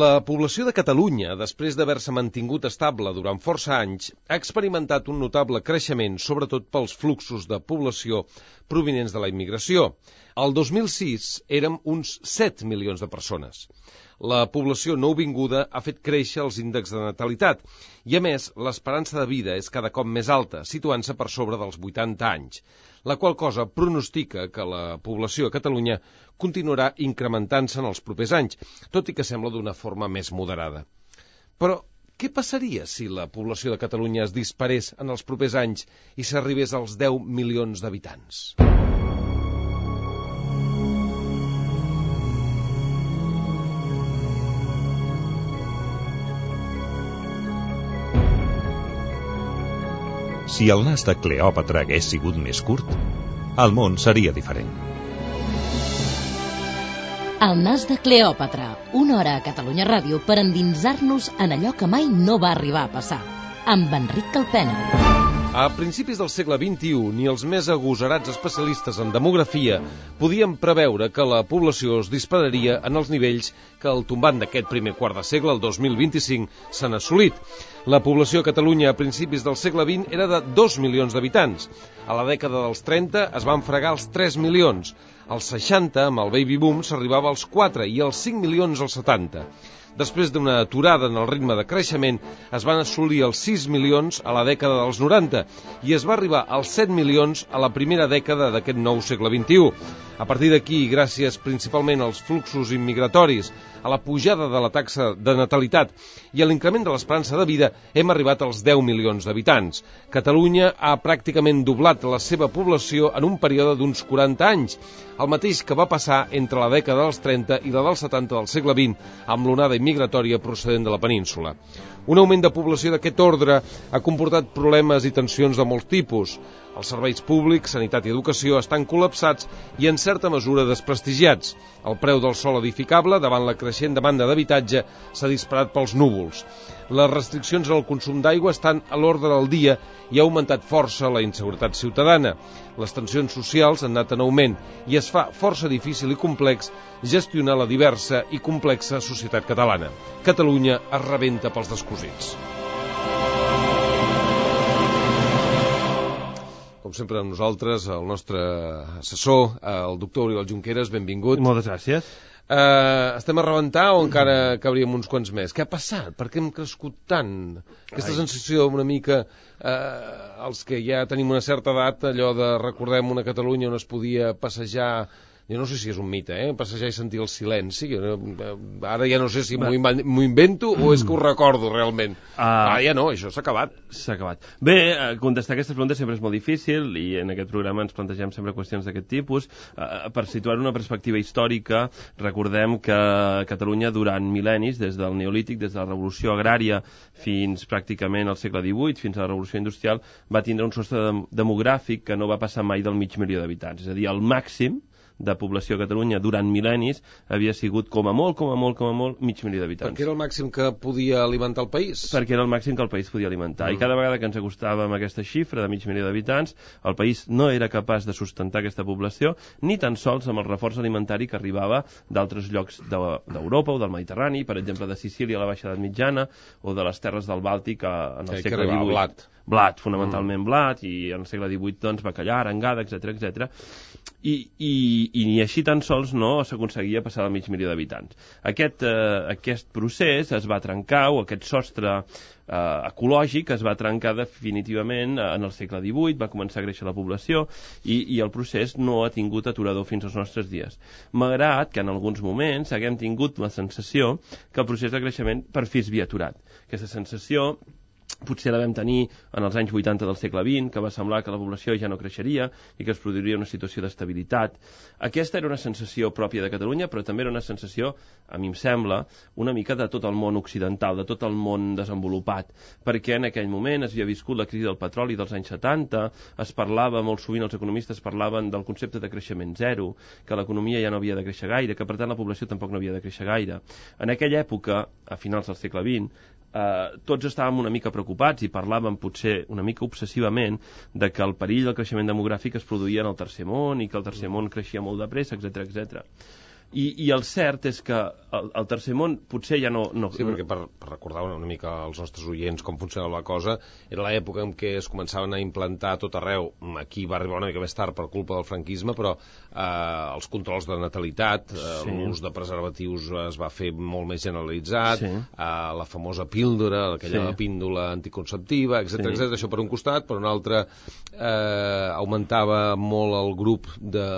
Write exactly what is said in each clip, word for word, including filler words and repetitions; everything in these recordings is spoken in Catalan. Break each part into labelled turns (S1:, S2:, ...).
S1: La població de Catalunya, després d'haver-se mantingut estable durant força anys, ha experimentat un notable creixement, sobretot pels fluxos de població provinents de la immigració. El dos mil sis érem uns set milions de persones. La població nouvinguda ha fet créixer els índexs de natalitat i, a més, l'esperança de vida és cada cop més alta, situant-se per sobre dels vuitanta anys, la qual cosa pronostica que la població a Catalunya continuarà incrementant-se en els propers anys, tot i que sembla d'una forma més moderada. Però què passaria si la població de Catalunya es disparés en els propers anys i s'arribés als deu milions d'habitants?
S2: Si el nas de Cleòpatra hagués sigut més curt, el món seria diferent.
S3: El nas de Cleòpatra, una hora a Catalunya Ràdio per endinsar-nos en allò que mai no va arribar a passar, amb Enric Calpena.
S1: A principis del segle vint-i-u, ni els més agosarats especialistes en demografia podien preveure que la població es dispararia en els nivells que al tombant d'aquest primer quart de segle, el dos mil vint-i-cinc, s'han assolit. La població a Catalunya a principis del segle vint era de dos milions d'habitants. A la dècada dels trenta es van fregar els tres milions. Als seixanta, amb el baby boom, s'arribava als quatre i als cinc milions als setanta. Després d'una aturada en el ritme de creixement, es van assolir els sis milions a la dècada dels noranta i es va arribar als set milions a la primera dècada d'aquest nou segle vint-i-u. A partir d'aquí, gràcies principalment als fluxos immigratoris, a la pujada de la taxa de natalitat i a l'increment de l'esperança de vida, hem arribat als deu milions d'habitants. Catalunya ha pràcticament doblat la seva població en un període d'uns quaranta anys, el mateix que va passar entre la dècada dels trenta i la dels setanta del segle vint, amb l'onada migratòria procedent de la península. Un augment de població d'aquest ordre ha comportat problemes i tensions de molts tipus. Els serveis públics, sanitat i educació estan col·lapsats i en certa mesura desprestigiats. El preu del sòl edificable, davant la creixent demanda d'habitatge, s'ha disparat pels núvols. Les restriccions en el consum d'aigua estan a l'ordre del dia i ha augmentat força la inseguretat ciutadana. Les tensions socials han anat en augment i es fa força difícil i complex gestionar la diversa i complexa societat catalana. Catalunya es rebenta pels descosits. Com sempre amb nosaltres, el nostre assessor, el doctor Oriol Junqueras, benvingut.
S4: Moltes gràcies.
S1: Uh, estem a rebentar o encara cabríem uns quants més? Què ha passat? Per què hem crescut tant? Aquesta Ai. sensació una mica, uh, els que ja tenim una certa edat, allò de recordem una Catalunya on es podia passejar, jo no sé si és un mite, eh? passejar i sentir el silenci, ara ja no sé si m'ho invento o és que ho recordo realment. Uh, ah, ja no, això s'ha acabat.
S4: S'ha acabat. Bé, contestar aquestes preguntes sempre és molt difícil i en aquest programa ens plantegem sempre qüestions d'aquest tipus. Uh, per situar una perspectiva històrica, recordem que Catalunya durant mil·lennis, des del Neolític, des de la Revolució Agrària fins pràcticament al segle divuit, fins a la Revolució Industrial, va tindre un sostre demogràfic que no va passar mai del mig milió d'habitants. És a dir, el màxim de població a Catalunya durant mil·lennis havia sigut com a molt, com a molt, com a molt, mig milió d'habitants.
S1: Perquè era el màxim que podia alimentar el país?
S4: Perquè era el màxim que el país podia alimentar. Mm. I cada vegada que ens acostàvem a aquesta xifra de mig milió d'habitants, el país no era capaç de sustentar aquesta població, ni tan sols amb el reforç alimentari que arribava d'altres llocs d'Europa o del Mediterrani, per exemple de Sicília a la Baixa Edat Mitjana, o de les terres del Bàltic en el
S1: sí,
S4: segle divuit.
S1: Blat.
S4: Blat, fonamentalment mm. blat, i en el segle divuit, doncs, bacallà, arengada, etcètera, etcètera. I, i, i ni així tan sols no s'aconseguia passar del mig milió d'habitants. Aquest, eh, aquest procés es va trencar, o aquest sostre eh, ecològic es va trencar definitivament en el segle divuit, va començar a créixer la població i, i el procés no ha tingut aturador fins als nostres dies. Malgrat que en alguns moments haguem tingut la sensació que el procés de creixement per fi es havia aturat. Aquesta sensació potser la vam tenir en els anys vuitanta del segle vint, que va semblar que la població ja no creixeria i que es produiria una situació d'estabilitat. Aquesta era una sensació pròpia de Catalunya, però també era una sensació, a mi em sembla, una mica de tot el món occidental, de tot el món desenvolupat, perquè en aquell moment es havia viscut la crisi del petroli dels anys setanta, es parlava, molt sovint els economistes parlaven del concepte de creixement zero, que l'economia ja no havia de créixer gaire, que per tant la població tampoc no havia de créixer gaire. En aquella època, a finals del segle vint, Uh, tots estàvem una mica preocupats i parlàvem potser una mica obsessivament de que el perill del creixement demogràfic es produïa en el tercer món i que el tercer món creixia molt de pressa, etcètera, etcètera. I, i el cert és que el, el tercer món potser ja no... no
S1: sí, perquè per, per recordar una, una mica als nostres oients com funcionava la cosa, era l'època en què es començaven a implantar tot arreu, aquí va arribar una mica més tard per culpa del franquisme, però eh, els controls de natalitat, eh, sí. l'ús de preservatius es va fer molt més generalitzat, sí. eh, la famosa píldora, aquella sí. píndola anticonceptiva, etcètera, sí. etcètera, això per un costat, per un altre eh, augmentava molt el grup de,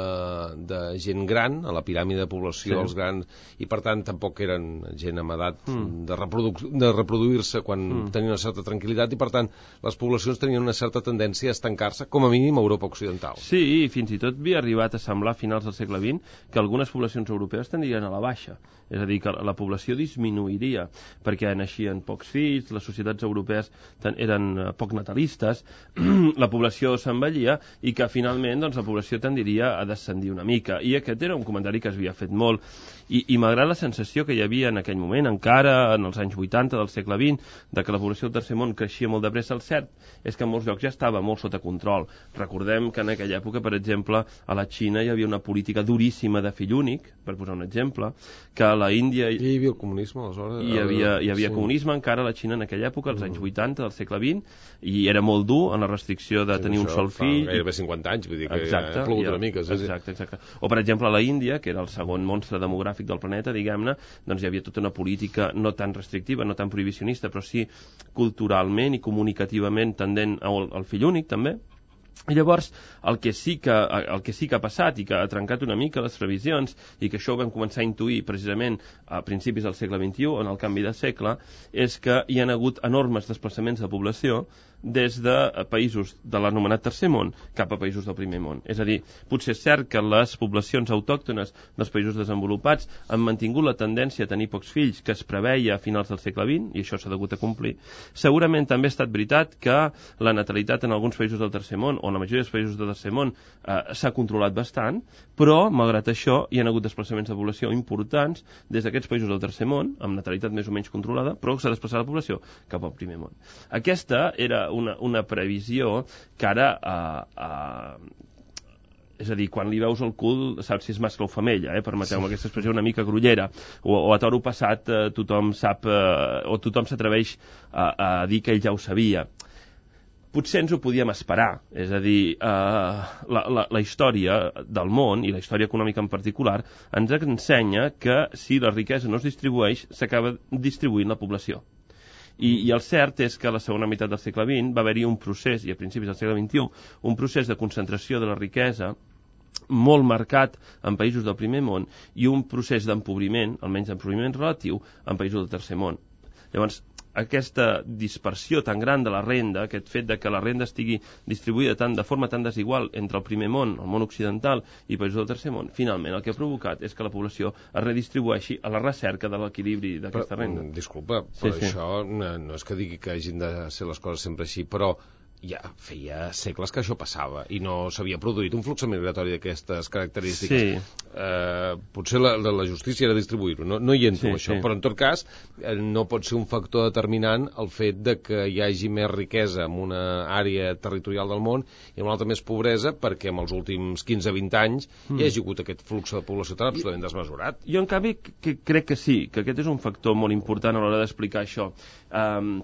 S1: de gent gran, a la piràmide de població, sí. els grans, i per tant tampoc eren gent amb edat mm. de, reprodu de reproduir-se quan mm. tenien una certa tranquil·litat, i per tant les poblacions tenien una certa tendència a estancar-se, com a mínim a Europa Occidental.
S4: Sí, i fins i tot havia arribat a semblar a finals del segle vint que algunes poblacions europees tendrien a la baixa, és a dir, que la població disminuiria, perquè naixien pocs fills, les societats europees eren poc natalistes, la població s'envellia i que finalment doncs, la població tendiria a descendir una mica. I aquest era un comentari que s'havia fet molt, i, i malgrat la sensació que hi havia en aquell moment, encara en els anys vuitanta del segle vint, de que la població del tercer món creixia molt de pressa, el cert és que en molts llocs ja estava molt sota control. Recordem que en aquella època, per exemple, a la Xina hi havia una política duríssima de fill únic, per posar un exemple, que a la Índia...
S1: I hi havia el comunisme, aleshores?
S4: Hi havia, hi havia sí. comunisme encara a la Xina en aquella època, als anys vuitanta del segle vint, i era molt dur en la restricció de
S1: sí,
S4: tenir un sol fill.
S1: Gairebé cinquanta anys, vull dir que exacte, ha plogut una mica. Sí,
S4: exacte, exacte. O, per exemple, a la Índia, que era el segon monstre demogràfic del planeta, diguem-ne, doncs hi havia tota una política no tan restrictiva, no tan prohibicionista, però sí culturalment i comunicativament tendent al, al fill únic, també. I llavors, el que, sí que, el que sí que ha passat i que ha trencat una mica les previsions, i que això ho vam començar a intuir precisament a principis del segle vint-i-u, en el canvi de segle, és que hi ha hagut enormes desplaçaments de població des de països de l'anomenat tercer món cap a països del primer món. És a dir, potser és cert que les poblacions autòctones dels països desenvolupats han mantingut la tendència a tenir pocs fills que es preveia a finals del segle vint, i això s'ha hagut a complir. Segurament també ha estat veritat que la natalitat en alguns països del tercer món, o en la majoria dels països del tercer món, eh, s'ha controlat bastant, però, malgrat això, hi ha hagut desplaçaments de població importants des d'aquests països del tercer món, amb natalitat més o menys controlada, però s'ha desplaçat la població cap al primer món. Aquesta era una, una previsió que ara eh, eh, és a dir, quan li veus el cul saps si és mascle o femella, eh? Permeteu-me aquesta expressió una mica grollera, o, o a toro passat eh, tothom sap eh, o tothom s'atreveix a, a dir que ell ja ho sabia. Potser ens ho podíem esperar, és a dir, eh, la, la, la història del món, i la història econòmica en particular, ens ensenya que si la riquesa no es distribueix, s'acaba distribuint la població. I, I el cert és que a la segona meitat del segle vint va haver-hi un procés, i a principis del segle vint-i-u, un procés de concentració de la riquesa molt marcat en països del primer món i un procés d'empobriment, almenys d'empobriment relatiu, en països del tercer món. Llavors, aquesta dispersió tan gran de la renda, aquest fet de que la renda estigui distribuïda tant, de forma tan desigual entre el primer món, el món occidental i països del tercer món, finalment el que ha provocat és que la població es redistribueixi a la recerca de l'equilibri d'aquesta renda.
S1: Disculpa, però sí, sí. això no, no és que digui que hagin de ser les coses sempre així, però ja feia segles que això passava i no s'havia produït un flux migratori d'aquestes característiques.
S4: Sí.
S1: Eh, potser la, la justícia era distribuir-ho, no, no hi entro sí, això, sí. Però en tot cas eh, no pot ser un factor determinant el fet de que hi hagi més riquesa en una àrea territorial del món i en una altra més pobresa, perquè en els últims quinze a vint anys mm. hi hagi hagut aquest flux de població tan absolutament desmesurat.
S4: Jo, en canvi, que, crec que sí, que aquest és un factor molt important a l'hora d'explicar això. Um,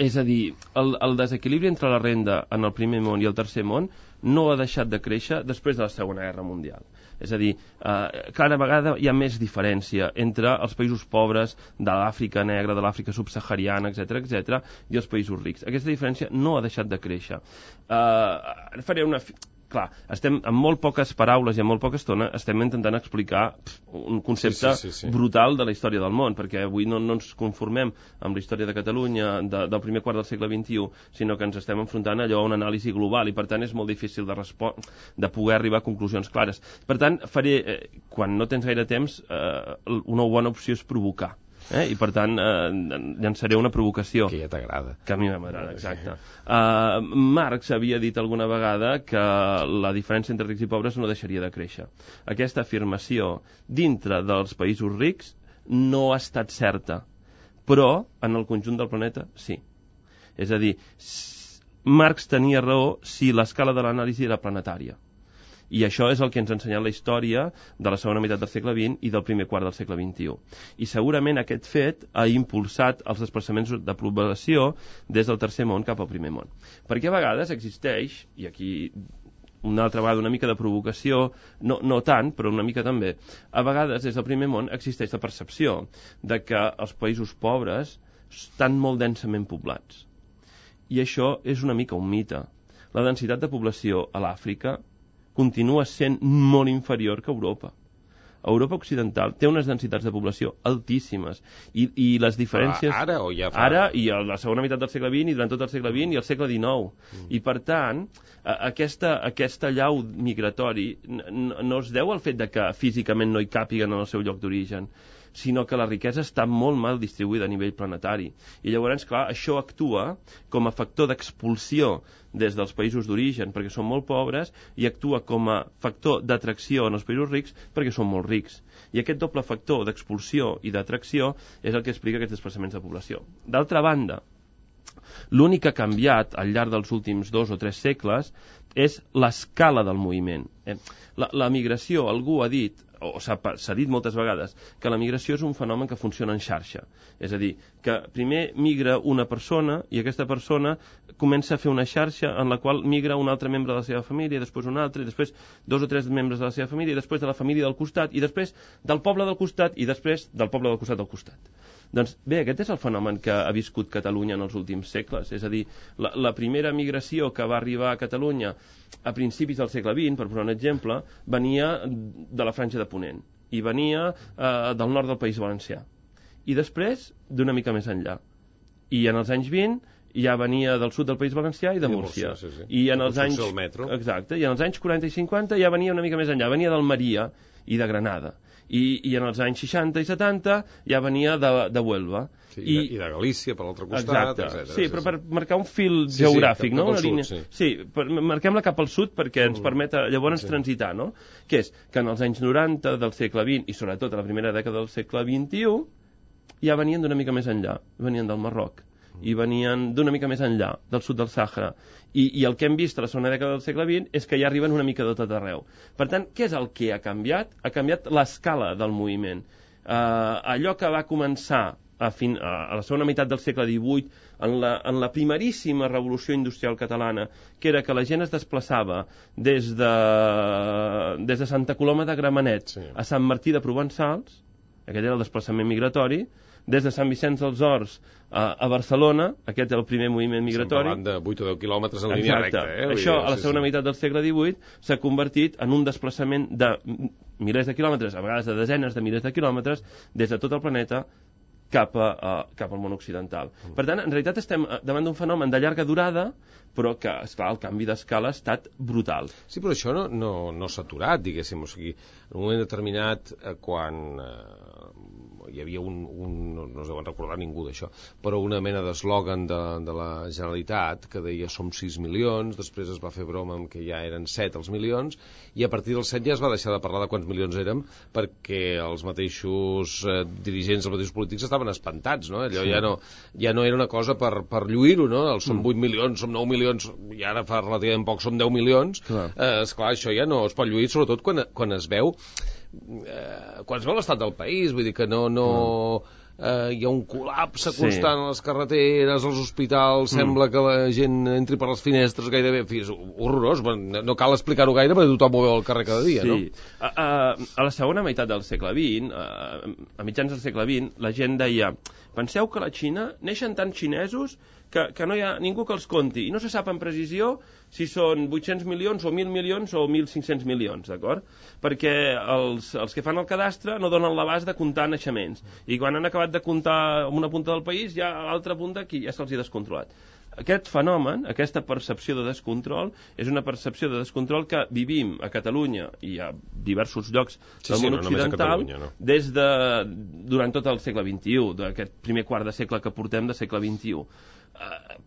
S4: És a dir, el, el desequilibri entre la renda en el primer món i el tercer món no ha deixat de créixer després de la Segona Guerra Mundial. És a dir, eh, cada vegada hi ha més diferència entre els països pobres de l'Àfrica negra, de l'Àfrica subsahariana, etcètera, etcètera, i els països rics. Aquesta diferència no ha deixat de créixer. Eh, faré una... Clar, estem amb molt poques paraules i amb molt poca estona estem intentant explicar un concepte sí, sí, sí, sí. brutal de la història del món, perquè avui no, no ens conformem amb la història de Catalunya de, del primer quart del segle vint-i-u, sinó que ens estem enfrontant allò a una anàlisi global i per tant és molt difícil de, de poder arribar a conclusions clares. Per tant, faré, eh, quan no tens gaire temps, eh, una bona opció és provocar. Eh? I per tant eh, llançaré una provocació
S1: que ja t'agrada,
S4: que a mi m'agrada, exacte. uh, Marx havia dit alguna vegada que la diferència entre rics i pobres no deixaria de créixer. Aquesta afirmació dintre dels països rics no ha estat certa, però en el conjunt del planeta sí. És a dir, Marx tenia raó si l'escala de l'anàlisi era planetària. I això és el que ens ha ensenyat la història de la segona meitat del segle vint i del primer quart del segle vint-i-u. I segurament aquest fet ha impulsat els desplaçaments de població des del tercer món cap al primer món. Perquè a vegades existeix, i aquí una altra vegada una mica de provocació, no, no tant, però una mica també, a vegades des del primer món existeix la percepció de que els països pobres estan molt densament poblats. I això és una mica un mite. La densitat de població a l'Àfrica continua sent molt inferior que a Europa. Europa Occidental té unes densitats de població altíssimes i, i les diferències...
S1: Ara o ja fa...
S4: Ara i a la segona meitat del segle vint i durant tot el segle vint i el segle dinou. Mm. I per tant, aquesta, aquesta llau migratori no es deu al fet de que físicament no hi càpiguen en el seu lloc d'origen, sinó que la riquesa està molt mal distribuïda a nivell planetari. I llavors, clar, això actua com a factor d'expulsió des dels països d'origen perquè són molt pobres i actua com a factor d'atracció en els països rics perquè són molt rics. I aquest doble factor d'expulsió i d'atracció és el que explica aquests desplaçaments de població. D'altra banda, l'únic que ha canviat al llarg dels últims dos o tres segles és l'escala del moviment. La, la migració, algú ha dit, o s'ha dit moltes vegades, que la migració és un fenomen que funciona en xarxa. És a dir, que primer migra una persona i aquesta persona comença a fer una xarxa en la qual migra un altre membre de la seva família, després un altre, i després dos o tres membres de la seva família, i després de la família del costat, i després del poble del costat, i després del poble del costat del costat. Doncs bé, aquest és el fenomen que ha viscut Catalunya en els últims segles. És a dir, la, la primera migració que va arribar a Catalunya a principis del segle vint, per posar un exemple, venia de la Franja de Ponent i venia eh, del nord del País Valencià. I després d'una mica més enllà. I en els anys vint ja venia del sud del País Valencià i de Múrcia.
S1: Sí, sí.
S4: I en els anys exacte, i en els anys quaranta i cinquanta ja venia una mica més enllà, venia d'Almeria i de Granada. I, i en els anys seixanta i setanta ja venia de, de Huelva.
S1: Sí, I, I de Galícia, per l'altre costat,
S4: exacte.
S1: etcètera.
S4: Sí, però per marcar un fil
S1: sí,
S4: geogràfic,
S1: sí,
S4: no?
S1: Una
S4: sud,
S1: línia...
S4: Sí, sí per, marquem-la cap al sud perquè ens mm. permet llavors sí. transitar, no? Que és que en els anys noranta del segle vint i sobretot a la primera dècada del segle vint-i-u ja venien d'una mica més enllà, venien del Marroc i venien d'una mica més enllà, del sud del Sàhara. I, I el que hem vist a la segona dècada del segle vint és que ja arriben una mica de tot arreu. Per tant, què és el que ha canviat? Ha canviat l'escala del moviment. Uh, allò que va començar a, fin, a la segona meitat del segle divuit, en la, en la primeríssima revolució industrial catalana, que era que la gent es desplaçava des de, des de Santa Coloma de Gramenet sí. a Sant Martí de Provençals, aquest era el desplaçament migratori, des de Sant Vicenç dels Horts a, a Barcelona, aquest és el primer moviment migratori.
S1: Estem parlant de vuit o deu quilòmetres en línia recta. Eh?
S4: Això, a la segona sí, sí. meitat del segle divuit, s'ha convertit en un desplaçament de milers de quilòmetres, a vegades de desenes de milers de quilòmetres, des de tot el planeta cap, a, a, cap al món occidental. Mm. Per tant, en realitat estem davant d'un fenomen de llarga durada, però que, esclar, el canvi d'escala ha estat brutal.
S1: Sí, però això no, no, no s'ha aturat, diguéssim. O sigui, en un moment determinat, eh, quan eh, hi havia un, un no, no es deuen recordar ningú d'això, però una mena d'eslògan de, de la Generalitat que deia som sis milions, després es va fer broma amb que ja eren set els milions, i a partir dels set ja es va deixar de parlar de quants milions érem, perquè els mateixos eh, dirigents, els mateixos polítics estaven espantats, no? Allò sí. ja, no, ja no era una cosa per, per lluir-ho, no? Els som vuit milions, som nou milions, i ara fa relativament poc som deu milions, clar. Eh, esclar, això ja no es pot lluir, sobretot quan, quan es veu eh, quan es veu l'estat del país, vull dir que no, no eh, hi ha un col·lapse constant sí. a les carreteres, als hospitals, mm. sembla que la gent entri per les finestres gairebé, en fi, és horrorós, no cal explicar-ho gaire perquè tothom ho veu al carrer cada dia,
S4: sí.
S1: no?
S4: A, a, a la segona meitat del segle vint, a, a mitjans del segle vint, la gent deia, penseu que a la Xina neixen tants xinesos que, que no hi ha ningú que els conti, i no se sap amb precisió si són vuit-cents milions o mil milions o mil cinc-cents milions, d'acord? Perquè els, els que fan el cadastre no donen l'abast de comptar naixements, i quan han acabat de comptar en una punta del país, ja a l'altra punta aquí ja se'ls ha descontrolat. Aquest fenomen, aquesta percepció de descontrol, és una percepció de descontrol que vivim a Catalunya i a diversos llocs
S1: sí,
S4: del
S1: sí,
S4: món
S1: no,
S4: occidental
S1: no.
S4: des de, durant tot el segle vint-i-u, d'aquest primer quart de segle que portem de segle vint-i-u. Uh,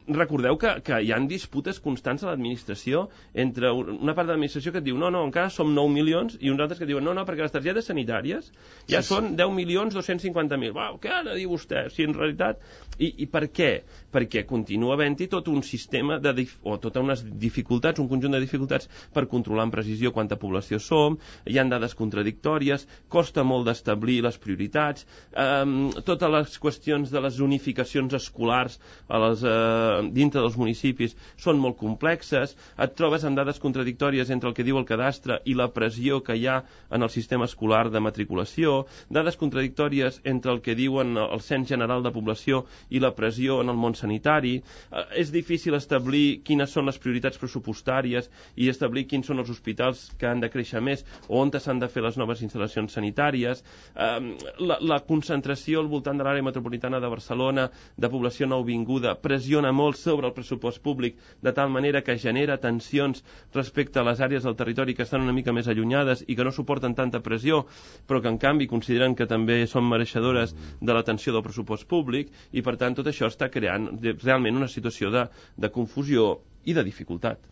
S4: recordeu que, que hi ha disputes constants a l'administració entre una part de l'administració que et diu no, no, encara som nou milions i uns altres que diuen no, no, perquè les targetes sanitàries ja sí, són sí. deu milions dos-cents cinquanta mil. Uau, què ara diu vostè? Si en realitat... I, i per què? Perquè continua havent-hi tot un sistema de dif... o totes unes dificultats, un conjunt de dificultats per controlar amb precisió quanta població som, hi ha dades contradictòries, costa molt d'establir les prioritats, eh, totes les qüestions de les unificacions escolars a les, eh, dintre dels municipis són molt complexes, et trobes amb dades contradictòries entre el que diu el cadastre i la pressió que hi ha en el sistema escolar de matriculació, dades contradictòries entre el que diuen el cens general de població i la pressió en el món sanitari. Eh, és difícil establir quines són les prioritats pressupostàries i establir quins són els hospitals que han de créixer més o on s'han de fer les noves instal·lacions sanitàries. Eh, la, la concentració al voltant de l'àrea metropolitana de Barcelona de població nouvinguda pressiona molt sobre el pressupost públic de tal manera que genera tensions respecte a les àrees del territori que estan una mica més allunyades i que no suporten tanta pressió, però que en canvi consideren que també són mereixedores de l'atenció del pressupost públic i per tant tot això està creant realment una situació de, de confusió i de dificultat.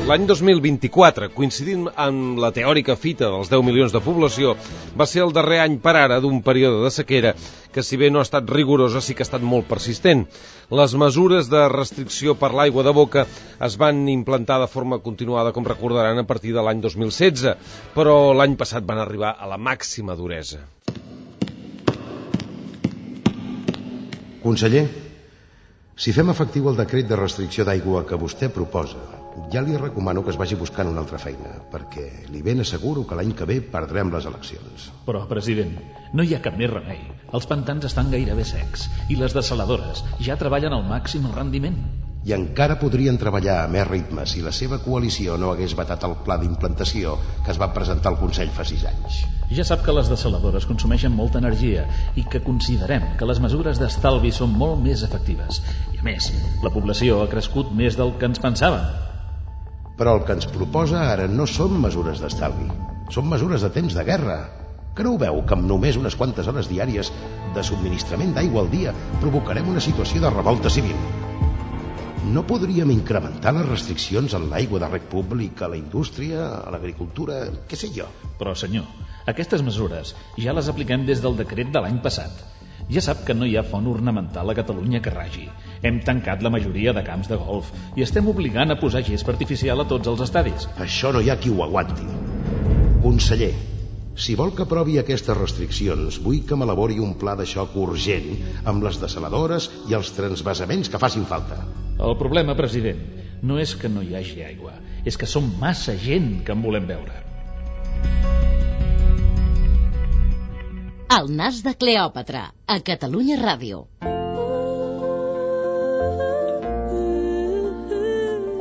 S1: L'any dos mil vint-i-quatre, coincidint amb la teòrica fita dels deu milions de població, va ser el darrer any per ara d'un període de sequera que, si bé no ha estat rigorosa, sí que ha estat molt persistent. Les mesures de restricció per l'aigua de boca es van implantar de forma continuada, com recordaran, a partir de l'any dos mil setze, però l'any passat van arribar a la màxima duresa.
S5: Conseller, si fem efectiu el decret de restricció d'aigua que vostè proposa, ja li recomano que es vagi buscant una altra feina, perquè li ben asseguro que l'any que ve perdrem les eleccions.
S6: Però, president, no hi ha cap més remei. Els pantans estan gairebé secs i les dessaladores ja treballen al màxim el rendiment.
S5: I encara podrien treballar a més ritme si la seva coalició no hagués vetat el pla d'implantació que es va presentar al Consell fa sis anys.
S6: Ja sap que les dessaladores consumeixen molta energia i que considerem que les mesures d'estalvi són molt més efectives. I a més, la població ha crescut més del que ens pensàvem.
S5: Però el que ens proposa ara no són mesures d'estalvi, són mesures de temps de guerra. Que no ho veu que amb només unes quantes hores diàries de subministrament d'aigua al dia provocarem una situació de revolta civil? No podríem incrementar les restriccions en l'aigua de reg públic, a la indústria, a l'agricultura, què sé jo?
S6: Però, senyor, aquestes mesures ja les apliquem des del decret de l'any passat. Ja sap que no hi ha font ornamental a Catalunya que ragi. Hem tancat la majoria de camps de golf i estem obligant a posar gespa artificial a tots els estadis.
S5: Això no hi ha qui ho aguanti. Conseller, si vol que aprovi aquestes restriccions, vull que m'elabori un pla de xoc urgent amb les dessaladores i els transvasaments que facin falta.
S6: El problema, president, no és que no hi hagi aigua, és que som massa gent que en volem veure.
S3: El nas de Cleòpatra, a Catalunya Ràdio.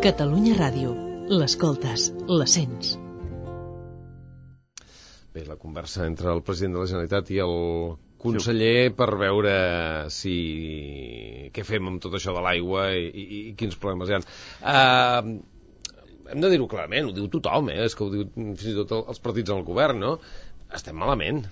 S7: Catalunya Ràdio. L'escoltes, la sents.
S1: Bé, la conversa entre el president de la Generalitat i el conseller per veure si què fem amb tot això de l'aigua i, i, i quins problemes hi ha. Uh, hem de dir-ho clarament, ho diu tothom, eh? És que ho diu fins i tot els partits en el govern, no? Estem malament.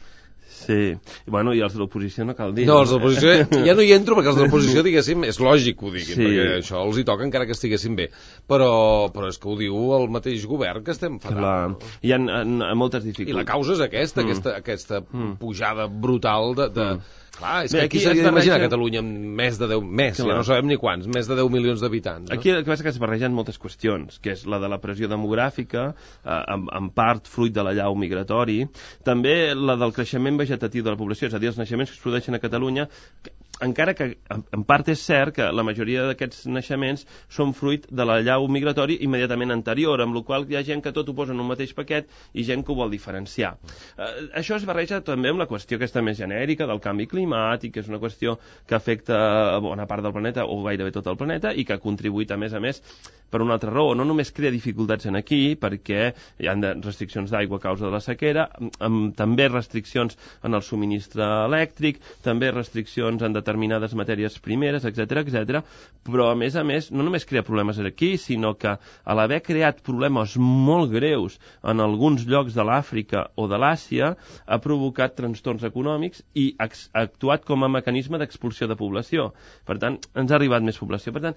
S4: Sí, bueno, i els de l'oposició no cal dir.
S1: No, els de l'oposició ja no hi entro perquè els de l'oposició, diguéssim, és lògic que ho diguin, sí. Perquè això els hi toca encara que estiguessin bé, però, però és que ho diu el mateix govern que estem fatal.
S4: La... No? Hi ha, ha, ha moltes dificultats.
S1: I la causa és aquesta, mm. aquesta, aquesta mm. pujada brutal de... de... Mm. Clar, és
S4: Bé,
S1: que aquí s'hauria d'imaginar Catalunya amb més de deu, més, ja no sabem ni quants, més de deu milions d'habitants. No?
S4: Aquí el que passa és que es barregen moltes qüestions, que és la de la pressió demogràfica, eh, en, en part fruit de la llau migratori, també la del creixement vegetatiu de la població, és a dir, els naixements que es produeixen a Catalunya, que, encara que en part és cert que la majoria d'aquests naixements són fruit de la llau migratori immediatament anterior, amb la qual hi ha gent que tot ho posa en un mateix paquet i gent que ho vol diferenciar. Eh, això es barreja també amb la qüestió aquesta més genèrica del canvi climàtic, que és una qüestió que afecta a bona part del planeta o gairebé tot el planeta i que ha contribuït a més a més per una altra raó. No només crea dificultats en aquí perquè hi ha restriccions d'aigua a causa de la sequera, amb també restriccions en el subministre elèctric, també restriccions en determinats determinades matèries primeres, etcètera, etcètera, però a més a més no només crea problemes aquí, sinó que a l'haver creat problemes molt greus en alguns llocs de l'Àfrica o de l'Àsia ha provocat trastorns econòmics i ha actuat com a mecanisme d'expulsió de població. Per tant, ens ha arribat més població. Per tant,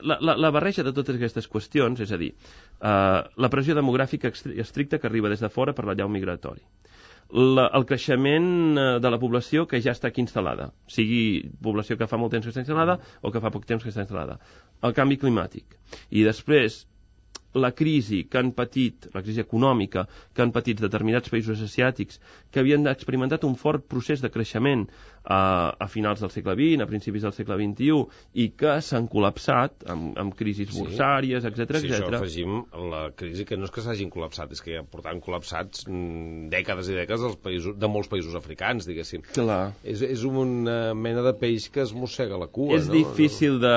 S4: la, la, la barreja de totes aquestes qüestions, és a dir, eh, la pressió demogràfica estricta que arriba des de fora per l'allau migratori, La, el creixement de la població que ja està aquí instal·lada, sigui població que fa molt temps que està instal·lada o que fa poc temps que està instal·lada, el canvi climàtic, i després la crisi que han patit, la crisi econòmica que han patit determinats països asiàtics que havien experimentat un fort procés de creixement a, a finals del segle vint, a principis del segle vint-i-u, i que s'han col·lapsat amb, amb crisis
S1: sí.
S4: borsàries, etcètera,
S1: sí,
S4: etcètera.
S1: Si això afegim la crisi, que no és que s'hagin col·lapsat, és que ja portaven col·lapsats mm, dècades i dècades dels països, de molts països africans, diguéssim.
S4: Clar.
S1: És, és una mena de peix que es mossega la cua,
S4: és
S1: no?
S4: És difícil de...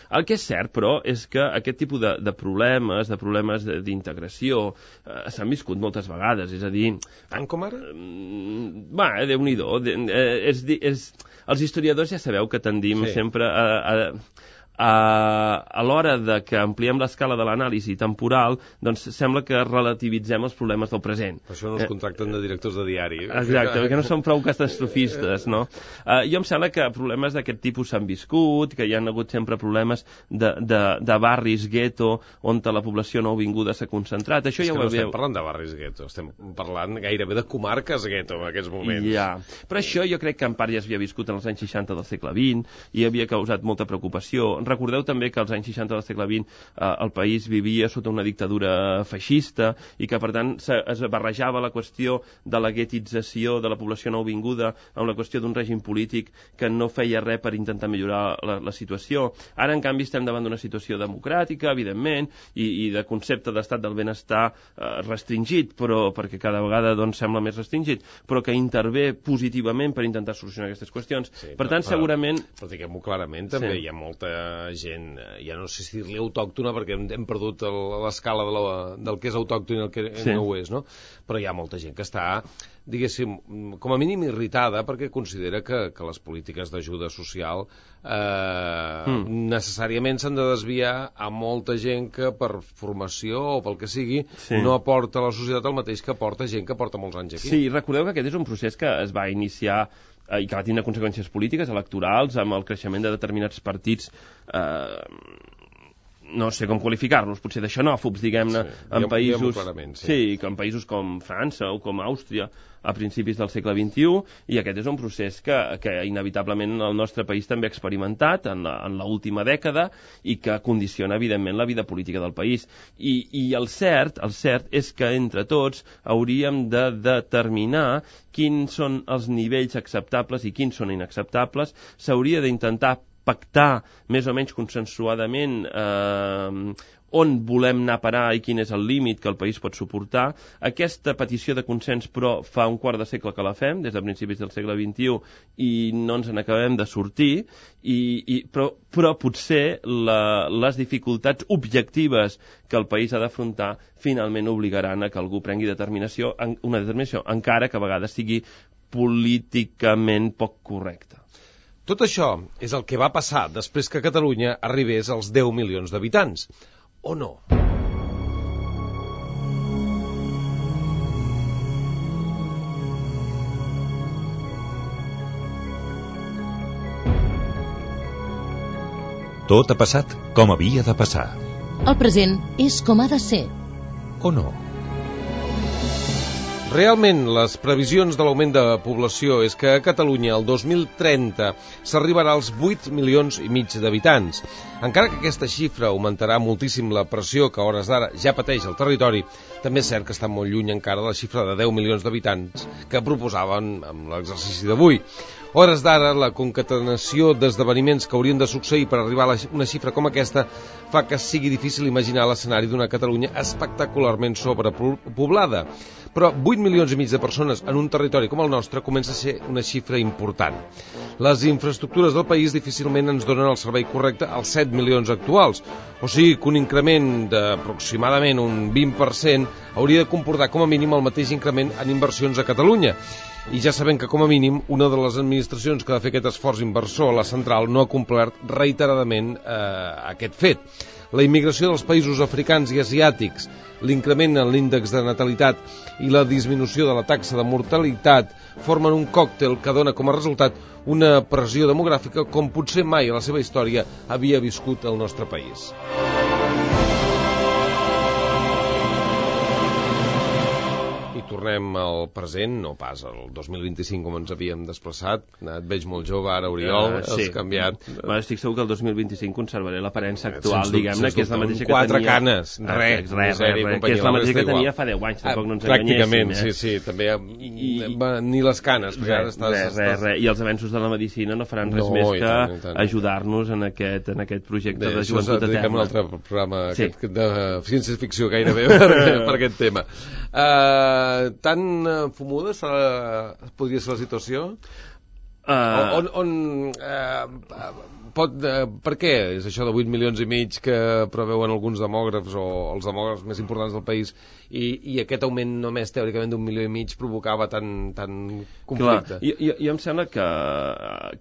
S4: El que és cert, però, és que aquest tipus de, de problemes, de problemes d'integració, eh, s'han viscut moltes vegades, és a dir...
S1: Tant com ara?
S4: Eh, va, Déu-n'hi-do. Eh, és, és, els historiadors ja sabeu que tendim sí. sempre a... a a, a l'hora de que ampliem l'escala de l'anàlisi temporal, doncs sembla que relativitzem els problemes del present.
S1: Per això no els contracten de directors de diari.
S4: Exacte, perquè no són prou catastrofistes, no? Uh, jo em sembla que problemes d'aquest tipus s'han viscut, que hi ha hagut sempre problemes de, de, de barris gueto on la població nouvinguda s'ha concentrat. Això
S1: és
S4: ja
S1: que
S4: ho
S1: no
S4: veu...
S1: estem parlant de barris gueto, estem parlant gairebé de comarques gueto en aquests moments.
S4: Ja, però això jo crec que en part ja s'havia viscut en els anys seixanta del segle vint i havia causat molta preocupació. Recordeu també que als anys seixanta del segle vint eh, el país vivia sota una dictadura feixista i que, per tant, es barrejava la qüestió de la guetització de la població nouvinguda amb la qüestió d'un règim polític que no feia res per intentar millorar la, la situació. Ara, en canvi, estem davant d'una situació democràtica, evidentment, i, i de concepte d'estat del benestar eh, restringit, però perquè cada vegada doncs, sembla més restringit, però que intervé positivament per intentar solucionar aquestes qüestions.
S1: Sí,
S4: per tant,
S1: però,
S4: segurament...
S1: Però diguem-ho clarament, també sí. hi ha molta gent, ja no sé si dir-li autòctona, perquè hem, hem perdut l'escala de la, del que és autòcton i el que sí. no ho és, no? Però hi ha molta gent que està, diguéssim, com a mínim irritada perquè considera que, que les polítiques d'ajuda social eh, mm. necessàriament s'han de desviar a molta gent que per formació o pel que sigui sí. no aporta a la societat el mateix que aporta gent que porta molts anys aquí.
S4: Sí, recordeu que aquest és un procés que es va iniciar i que va tindre conseqüències polítiques, electorals, amb el creixement de determinats partits, eh, no sé com qualificar-los, potser de xenòfobs, diguem-ne,
S1: sí,
S4: en països...
S1: Sí.
S4: sí, que en països com França o com Àustria, a principis del segle vint-i-u, i aquest és un procés que, que inevitablement el nostre país també ha experimentat en l'última dècada i que condiciona, evidentment, la vida política del país. I, i el cert, el cert és que entre tots hauríem de determinar quins són els nivells acceptables i quins són inacceptables. S'hauria d'intentar pactar més o menys consensuadament eh, on volem anar a parar i quin és el límit que el país pot suportar. Aquesta petició de consens, però, fa un quart de segle que la fem, des de principis del segle vint-i-u, i no ens n'acabem de sortir, i, i, però, però potser la, les dificultats objectives que el país ha d'afrontar finalment obligaran a que algú prengui determinació, una determinació, encara que a vegades sigui políticament poc correcta.
S1: Tot això és el que va passar després que Catalunya arribés als deu milions d'habitants. O no?
S2: Tot ha passat com havia de passar.
S3: El present és com ha de ser.
S2: O no?
S1: Realment, les previsions de l'augment de població és que a Catalunya el dos mil trenta s'arribarà als vuit milions i mig d'habitants. Encara que aquesta xifra augmentarà moltíssim la pressió que a hores d'ara ja pateix el territori, també és cert que està molt lluny encara de la xifra de deu milions d'habitants que proposaven amb l'exercici d'avui. A hores d'ara, la concatenació d'esdeveniments que haurien de succeir per arribar a una xifra com aquesta fa que sigui difícil imaginar l'escenari d'una Catalunya espectacularment sobrepoblada. Però vuit milions i mig de persones en un territori com el nostre comença a ser una xifra important. Les infraestructures del país difícilment ens donen el servei correcte als set milions actuals, o sigui que un increment d'aproximadament un vint per cent hauria de comportar com a mínim el mateix increment en inversions a Catalunya. I ja sabem que, com a mínim, una de les administracions que ha de fer aquest esforç inversor, la central, no ha complert reiteradament eh, aquest fet. La immigració dels països africans i asiàtics, l'increment en l'índex de natalitat i la disminució de la taxa de mortalitat formen un còctel que dona com a resultat una pressió demogràfica com potser mai a la seva història havia viscut el nostre país. I tornem al present, no pas al dos mil vint-i-cinc com ens havíem desplaçat. Et veig molt jove ara, Oriol, uh, sí. Has canviat.
S4: Bueno, estic segur que el dos mil vint-i-cinc conservaré l'aparença actual, diguem-ne, que és la mateixa que
S1: quatre
S4: tenia...
S1: Quatre canes, res,
S4: res, res, res, que és la mateixa que tenia fa deu anys, tampoc no ens enganyéssim.
S1: Pràcticament, sí, sí, també ni les canes, perquè ara estàs...
S4: Res, res, res, i els avenços de la medicina no faran res més que ajudar-nos en aquest projecte de joventut eterna.
S1: Dediquem un altre programa de ciència-ficció gairebé per aquest tema. Tan fumuda podria ser la situació? Uh... On, on uh, pot, uh, per què és això de vuit milions i mig que preveuen alguns demògrafs o els demògrafs més importants del país i, i aquest augment només teòricament d'un milió i mig provocava tant, tant conflicte?
S4: Clar, jo, jo, jo em sembla que,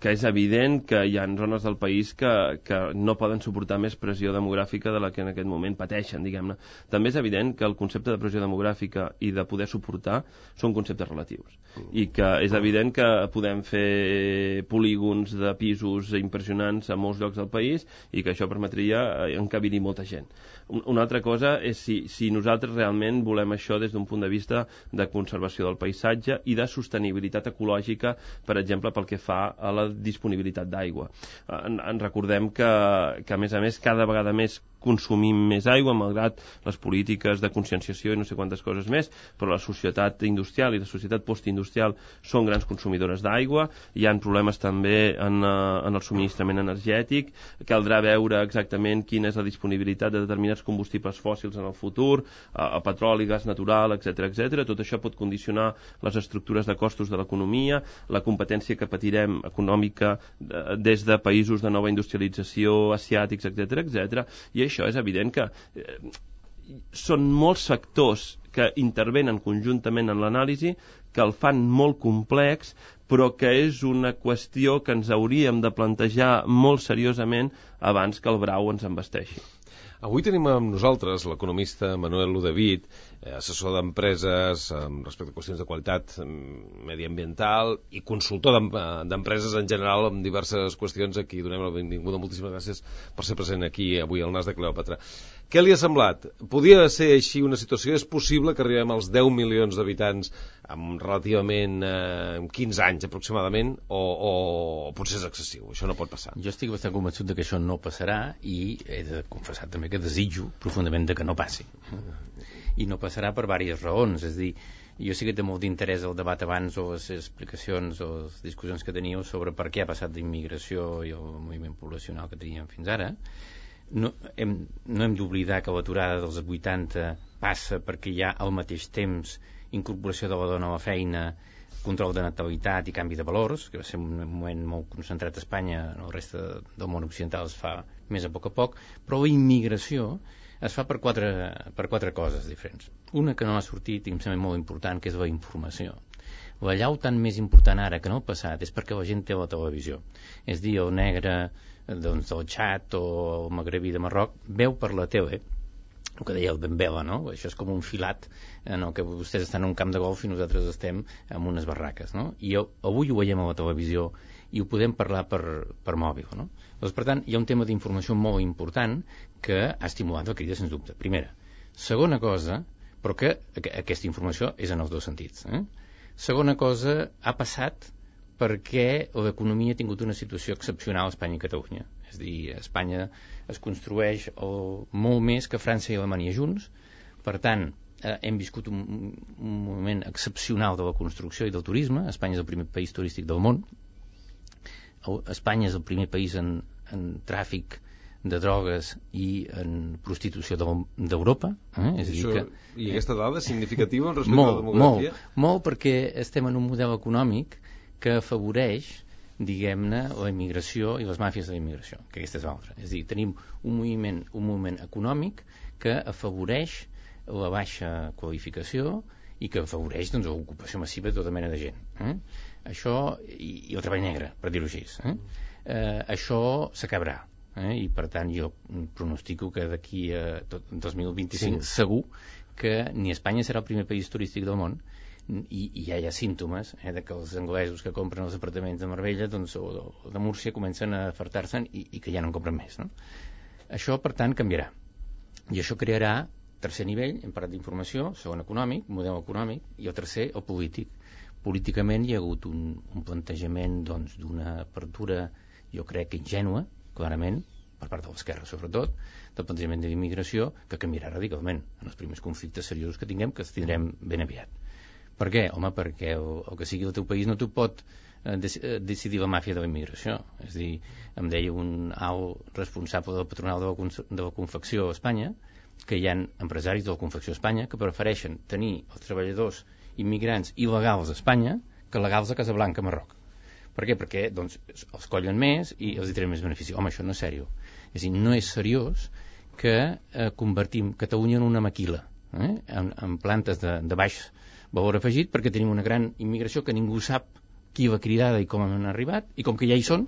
S4: que és evident que hi ha zones del país que, que no poden suportar més pressió demogràfica de la que en aquest moment pateixen, diguem-ne. També és evident que el concepte de pressió demogràfica i de poder suportar són conceptes relatius i que és evident que podem fer polígons de pisos impressionants a molts llocs del país i que això permetria encabir-hi molta gent. Una altra cosa és si, si nosaltres realment volem això des d'un punt de vista de conservació del paisatge i de sostenibilitat ecològica, per exemple, pel que fa a la disponibilitat d'aigua. En, en recordem que, que, a més a més, cada vegada més consumim més aigua, malgrat les polítiques de conscienciació i no sé quantes coses més, però la societat industrial i la societat postindustrial són grans consumidores d'aigua, hi ha problemes també en, en el subministrament energètic, caldrà veure exactament quina és la disponibilitat de determinats combustibles fòssils en el futur, a petroli, gas natural, etcètera, etcètera. Tot això pot condicionar les estructures de costos de l'economia, la competència que patirem econòmica des de països de nova industrialització, asiàtics, etcètera, etcètera. I això és evident que eh, són molts factors que intervenen conjuntament en l'anàlisi, que el fan molt complex, però que és una qüestió que ens hauríem de plantejar molt seriosament abans que el brau ens embesteixi.
S1: Avui tenim amb nosaltres l'economista Manuel Ludevit, assessor d'empreses respecte a qüestions de qualitat mediambiental i consultor d'empreses en general en diverses qüestions. Aquí donem la benvinguda. Moltíssimes gràcies per ser present aquí avui al Nas de Cleòpatra. Què li ha semblat? Podia ser així una situació? És possible que arribem als deu milions d'habitants en relativament eh, quinze anys aproximadament o, o, o potser és excessiu? Això no pot passar.
S8: Jo estic bastant convençut de que això no passarà i he de confessar també que desitjo profundament de que no passi. I no passarà per diverses raons. És a dir, jo sí que té molt d'interès el debat abans o les explicacions o les discussions que teníeu sobre per què ha passat d'immigració i el moviment poblacional que teníem fins ara. No hem, no hem d'oblidar que l'aturada dels vuitanta passa perquè hi ha al mateix temps incorporació de la dona a la feina, control de natalitat i canvi de valors, que va ser un moment molt concentrat a Espanya, en el reste del món occidental es fa més a poc a poc, però la immigració es fa per quatre, per quatre coses diferents. Una que no ha sortit i em sembla molt important, que és la informació. La llau tan més important ara que no el passat és perquè la gent té la televisió. És dir, el negre doncs, del Txad o el magrebí de Marroc veu per la tele el que deia el Dembélé, no? Això és com un filat en el que vostès estan en un camp de golf i nosaltres estem en unes barraques, no? I avui ho veiem a la televisió i ho podem parlar per, per mòbil, no? Doncs, per tant, hi ha un tema d'informació molt important que ha estimulat la crida, sens dubte. Primera. Segona cosa, però que aquesta informació és en els dos sentits. Eh? Segona cosa, ha passat perquè l'economia ha tingut una situació excepcional a Espanya i Catalunya. És a dir, a Espanya es construeix el, molt més que França i Alemanya junts. Per tant, eh, hem viscut un, un moment excepcional de la construcció i del turisme. Espanya és el primer país turístic del món. Espanya és el primer país en, en tràfic de drogues i en prostitució d'Europa. Eh? És a dir que,
S1: I aquesta dada és significativa respecte molt, a la demografia?
S8: Molt, molt, perquè estem en un model econòmic que afavoreix, diguem-ne, la immigració i les màfies de la immigració, que aquesta és l'altra. És a dir, tenim un moviment, un moviment econòmic que afavoreix la baixa qualificació i que afavoreix doncs, l'ocupació massiva de tota mena de gent. Eh? Això, i, i el treball negre, per dir-ho així. Eh? Eh, això s'acabarà. Eh? I per tant jo pronostico que d'aquí a tot, dos mil vint-i-cinc sí. segur que ni Espanya serà el primer país turístic del món, i, i ja hi ha símptomes eh, de que els anglesos que compren els apartaments de Marbella doncs, o, o de Múrcia comencen a afartar-se'n i, i que ja no en compren més, no? Això per tant canviarà, i això crearà tercer nivell, hem parlat d'informació, segon econòmic, model econòmic, i el tercer el polític. Políticament hi ha hagut un, un plantejament doncs, d'una apertura, jo crec que ingènua, clarament, per part de l'esquerra sobretot, del plantejament de l'immigració, que canviarà radicalment en els primers conflictes seriosos que tinguem, que els tindrem ben aviat. Per què? Home, perquè el, el que sigui el teu país no t'ho pot eh, decidir la màfia de la immigració. És a dir, em deia un alt responsable del patronal de la, de la confecció a Espanya que hi ha empresaris de la confecció a Espanya que prefereixen tenir els treballadors immigrants il·legals a Espanya que legals a Casablanca, Marroc. Per què? Perquè doncs, els collen més i els hi trenen més benefici. Home, això no és seriós. És a dir, no és seriós que eh, convertim Catalunya en una maquila, eh? en, en plantes de, de baix valor afegit, perquè tenim una gran immigració que ningú sap qui l'ha cridada i com han arribat, i com que ja hi són,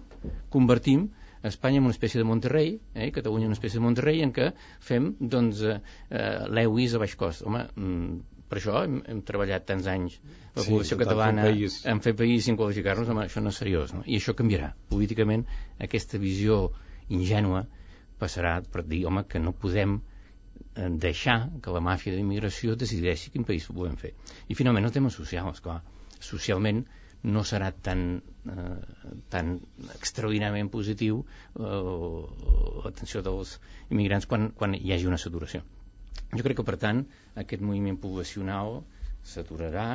S8: convertim Espanya en una espècie de Monterrey, eh, Catalunya en una espècie de Monterrey, en què fem doncs, eh, l'Ewis a baix cost. Home, mm, per això hem, hem treballat tants anys la població sí, catalana en fer país sin qualificar-nos. Home, això no és seriós, no? I això canviarà. Políticament, aquesta visió ingènua passarà per dir, home, que no podem deixar que la màfia d'immigració decideixi quin país ho podem fer. I finalment el tema social, esclar. Socialment no serà tan, eh, tan extraordinàriament positiu eh, l'atenció dels immigrants quan, quan hi hagi una saturació. Jo crec que, per tant, aquest moviment poblacional s'aturarà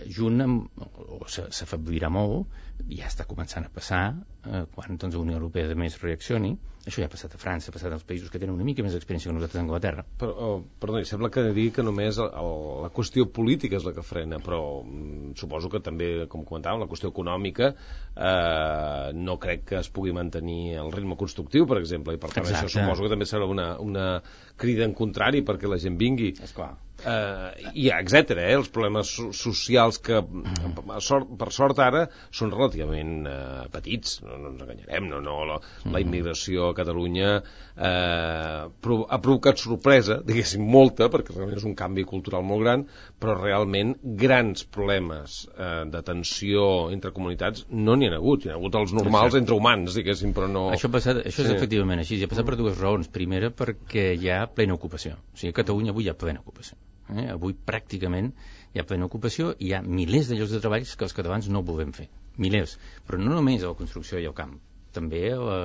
S8: junt amb, o s'afeblirà molt, ja està començant a passar eh, quan doncs, la Unió Europea de més reaccioni. Això ja ha passat a França, ha passat als països que tenen una mica més d'experiència que nosaltres a Anglaterra.
S1: Però, oh, perdó, sembla que digui que només el, el, la qüestió política és la que frena, però mm, suposo que també, com comentàvem, la qüestió econòmica eh, no crec que es pugui mantenir el ritme constructiu, per exemple, i per tant Exacte. Això suposo que també serà una, una crida en contrari perquè la gent vingui.
S8: Esclar.
S1: Uh, i etcètera, eh? Els problemes so socials que per sort, per sort ara són relativament uh, petits, no, no ens enganyarem, no, no, la, la immigració a Catalunya uh, ha provocat sorpresa, diguéssim molta, perquè realment és un canvi cultural molt gran, però realment grans problemes uh, de tensió entre comunitats no n'hi ha hagut, hi ha hagut els normals entre humans, diguéssim, però no...
S8: Això, passat, això és sí. efectivament així, ha passat per dues raons. Primera, perquè hi ha plena ocupació, o sigui, a Catalunya avui hi ha plena ocupació. Eh? Avui pràcticament hi ha plena ocupació i hi ha milers de llocs de treball que els catalans no volem fer, milers, però no només a la construcció i al camp, també a la,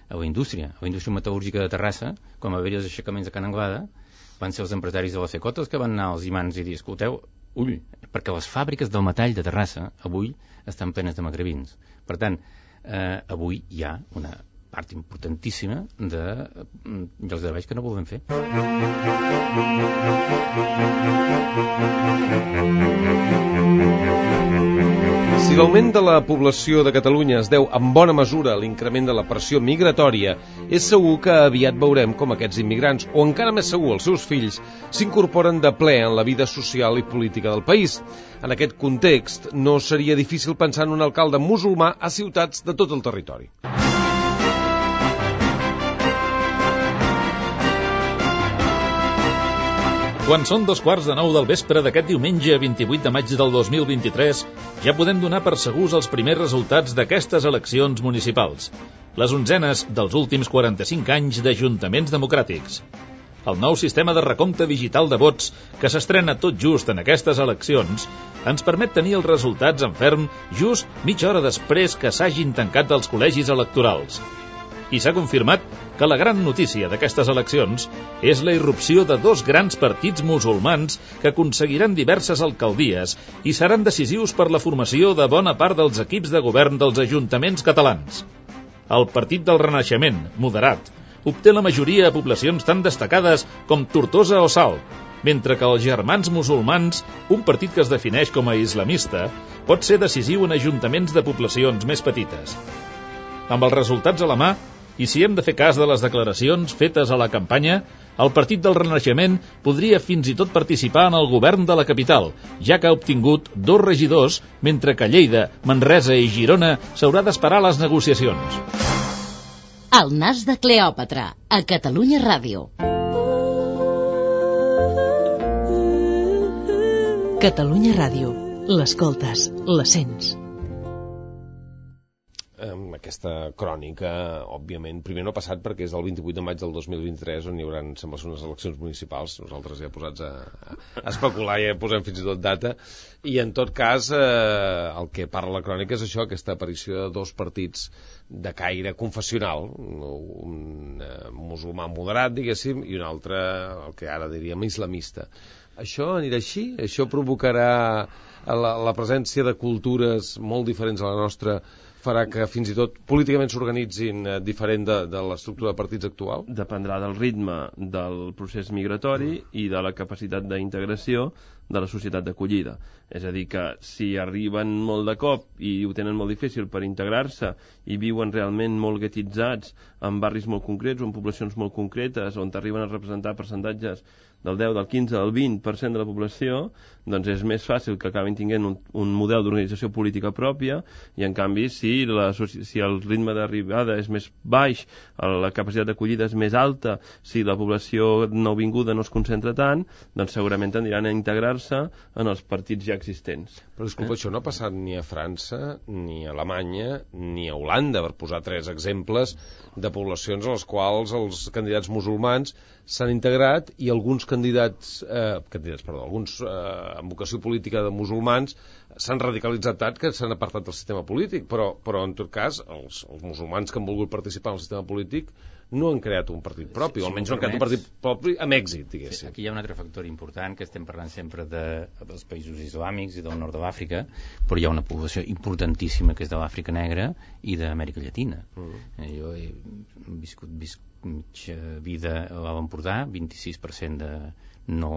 S8: a la indústria, a la indústria metal·lúrgica de Terrassa. Quan va haver-hi els aixecaments de Can Anglada van ser els empresaris de la Secota els que van anar als imants i dir, escolteu, ull, perquè les fàbriques del metall de Terrassa avui estan plenes de magrebins. Per tant, eh, avui hi ha una part importantíssima de llocs de treball que no volem fer.
S1: Si l'augment de la població de Catalunya es deu en bona mesura a l'increment de la pressió migratòria, és segur que aviat veurem com aquests immigrants, o encara més segur els seus fills, s'incorporen de ple en la vida social i política del país. En aquest context, no seria difícil pensar en un alcalde musulmà a ciutats de tot el territori.
S6: Quan són dos quarts de nou del vespre d'aquest diumenge vint-i-vuit de maig del dos mil vint-i-tres, ja podem donar per segurs els primers resultats d'aquestes eleccions municipals, les onzenes dels últims quaranta-cinc anys d'ajuntaments democràtics. El nou sistema de recompte digital de vots, que s'estrena tot just en aquestes eleccions, ens permet tenir els resultats en ferm just mitja hora després que s'hagin tancat els col·legis electorals. I s'ha confirmat que la gran notícia d'aquestes eleccions és la irrupció de dos grans partits musulmans que aconseguiran diverses alcaldies i seran decisius per la formació de bona part dels equips de govern dels ajuntaments catalans. El Partit del Renaixement, moderat, obté la majoria a poblacions tan destacades com Tortosa o Salt, mentre que els Germans Musulmans, un partit que es defineix com a islamista, pot ser decisiu en ajuntaments de poblacions més petites. Amb els resultats a la mà, I si hem de fer cas de les declaracions fetes a la campanya, el Partit del Renaixement podria fins i tot participar en el govern de la capital, ja que ha obtingut dos regidors, mentre que Lleida, Manresa i Girona s'haurà d'esperar a les negociacions.
S3: El nas de Cleòpatra, a Catalunya Ràdio.
S7: Catalunya Ràdio. L'escoltes, la sents.
S1: Aquesta crònica, òbviament, primer no ha passat perquè és el vint-i-vuit de maig del dos mil vint-i-tres on hi haurà, sembla, unes eleccions municipals. Nosaltres ja posats a, a especular, ja posem fins i tot data, i en tot cas eh, el que parla la crònica és això, aquesta aparició de dos partits de caire confessional, un eh, musulmà moderat, diguéssim, i un altre, el que ara diríem, islamista. Això anirà així? Això provocarà la, la presència de cultures molt diferents a la nostra, farà que fins i tot políticament s'organitzin eh, diferent de, de l'estructura de partits actual?
S4: Dependrà del ritme del procés migratori mm. i de la capacitat d'integració de la societat d'acollida. És a dir, que si arriben molt de cop i ho tenen molt difícil per integrar-se i viuen realment molt guetitzats en barris molt concrets o en poblacions molt concretes on arriben a representar percentatges del deu, del quinze, del vint per cent de la població, doncs és més fàcil que acabin tinguent un, un model d'organització política pròpia, i en canvi si, la, si el ritme d'arribada és més baix, la capacitat d'acollida és més alta, si la població nouvinguda no es concentra tant, doncs segurament tendiran a integrar-se en els partits ja existents.
S1: Però disculpa, eh? Això no ha passat ni a França, ni a Alemanya, ni a Holanda, per posar tres exemples de poblacions en les quals els candidats musulmans s'han integrat i alguns candidats, eh, candidats perdó, alguns eh, amb vocació política de musulmans s'han radicalitzat tant que s'han apartat del sistema polític, però, però en tot cas els, els musulmans que han volgut participar en el sistema polític no han creat un partit propi, sí, o almenys no han creat un partit propi amb èxit, diguéssim.
S8: Sí, aquí hi ha un altre factor important, que estem parlant sempre de, dels països islàmics i del nord de l'Àfrica, però hi ha una població importantíssima que és de l'Àfrica Negra i d'Amèrica Llatina. Mm. Jo he viscut, viscut mitja vida a l'Empordà, vint-i-sis per cent de no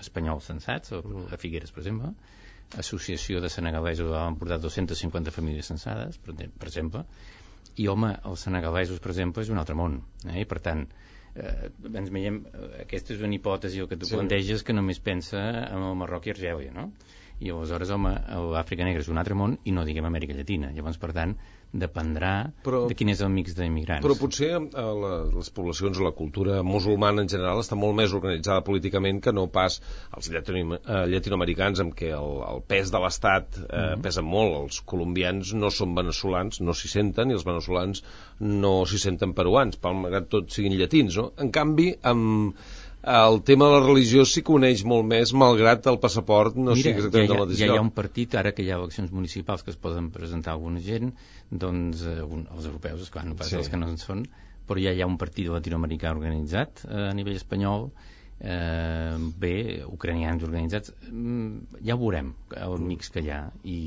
S8: espanyols censats, a Figueres, per exemple, Associació de Senegalesos a l'Empordà, dos-centes cinquanta famílies censades, per, per exemple, i home, els senegalesos, per exemple, és un altre món, eh? I per tant, eh, ens veiem, aquesta és una hipòtesi, el que tu sí. planteges, que només pensa en el Marroc i Argèlia, no? I aleshores, home, l'Àfrica Negra és un altre món i no diguem Amèrica Llatina. Llavors, per tant, dependrà però, de quin és el mix d'immigrants.
S1: Però potser a la, les poblacions o la cultura musulmana en general està molt més organitzada políticament que no pas els llatino, eh, llatinoamericans, amb què el, el pes de l'Estat eh, mm-hmm. pesa molt. Els colombians no són veneçolans, no s'hi senten, i els veneçolans no s'hi senten peruans, malgrat tot siguin llatins, no? En canvi, amb el tema de la religió s'hi coneix molt més, malgrat el passaport no
S8: Mira,
S1: sigui exactament
S8: ja,
S1: la mateixa.
S8: Ja hi ha un partit, ara que hi ha eleccions municipals que es poden presentar alguna gent, doncs eh, un, els europeus, esclar, no pas sí. els que no en són, però ja hi ha un partit latinoamericà organitzat eh, a nivell espanyol, eh, bé, ucranians organitzats, mm, ja ho veurem el mix que hi ha i,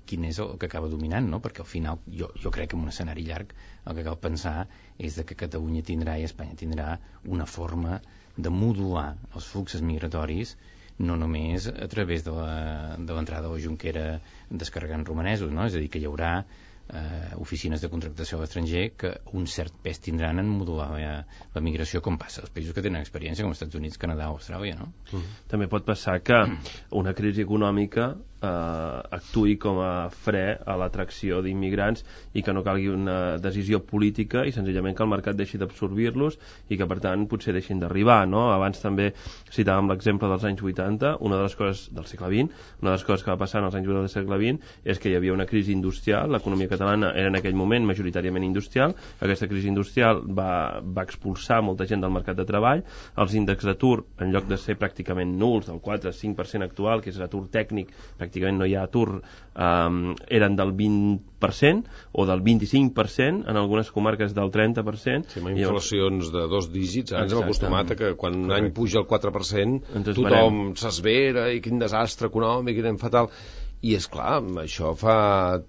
S8: i quin és el que acaba dominant, no? Perquè al final jo, jo crec que en un escenari llarg el que cal pensar és de que Catalunya tindrà i Espanya tindrà una forma de modular els fluxos migratoris no només a través de l'entrada de la Junquera descarregant romanesos, no? És a dir, que hi haurà eh, oficines de contractació a l'estranger que un cert pes tindran en modular la, la migració, com passa als països que tenen experiència, com els Estats Units, Canadà o Austràlia, no? Mm.
S4: També pot passar que una crisi econòmica eh, actuï com a fre a l'atracció d'immigrants i que no calgui una decisió política i senzillament que el mercat deixi d'absorbir-los i que per tant potser deixin d'arribar, no? Abans també citàvem l'exemple dels anys vuitanta, una de les coses del segle vint, una de les coses que va passar en els anys vuitanta del segle vint és que hi havia una crisi industrial, l'economia catalana era en aquell moment majoritàriament industrial, aquesta crisi industrial va, va expulsar molta gent del mercat de treball, els índexs d'atur en lloc de ser pràcticament nuls, del quatre a cinc per cent actual, que és l'atur tècnic, pràcticament no hi ha atur, um, eren del vint per cent o del vint-i-cinc per cent, en algunes comarques del trenta per cent.
S1: Sí, amb inflacions de dos dígits, ara ens hem acostumat a que quan un any puja el quatre per cent tothom s'esvera i quin desastre econòmic, i anem fatal. I, és clar, això fa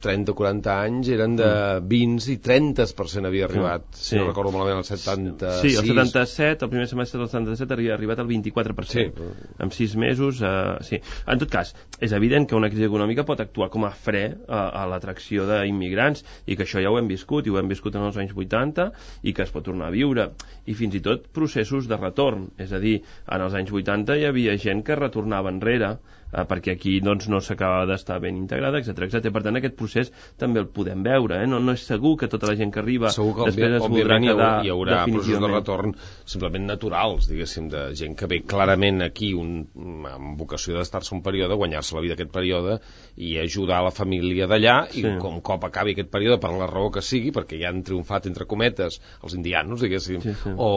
S1: trenta o quaranta anys eren de vint i trenta per cent havia arribat, sí. si no recordo malament, el setanta-sis.
S4: Sí, el setanta-set, el primer semestre del setanta-set havia arribat al vint-i-quatre per cent. Sí. En sis mesos, eh, sí. En tot cas, és evident que una crisi econòmica pot actuar com a fre a, a l'atracció d'immigrants, i que això ja ho hem viscut, i ho hem viscut en els anys vuitanta, i que es pot tornar a viure. I fins i tot processos de retorn. És a dir, en els anys vuitanta hi havia gent que retornava enrere, eh, perquè aquí doncs, no s'acaba d'estar ben integrada, etcètera, etcètera. Per tant, aquest procés també el podem veure. Eh? No, no és segur que tota la gent que arriba
S1: segur que
S4: després es voldrà quedar
S1: hi haurà processos de retorn simplement naturals, diguéssim, de gent que ve clarament aquí un, amb vocació d'estar-se un període, guanyar-se la vida aquest període i ajudar la família d'allà, sí. I com cop acabi aquest període, per la raó que sigui, perquè ja han triomfat, entre cometes, els indianos, diguéssim, sí, sí. O,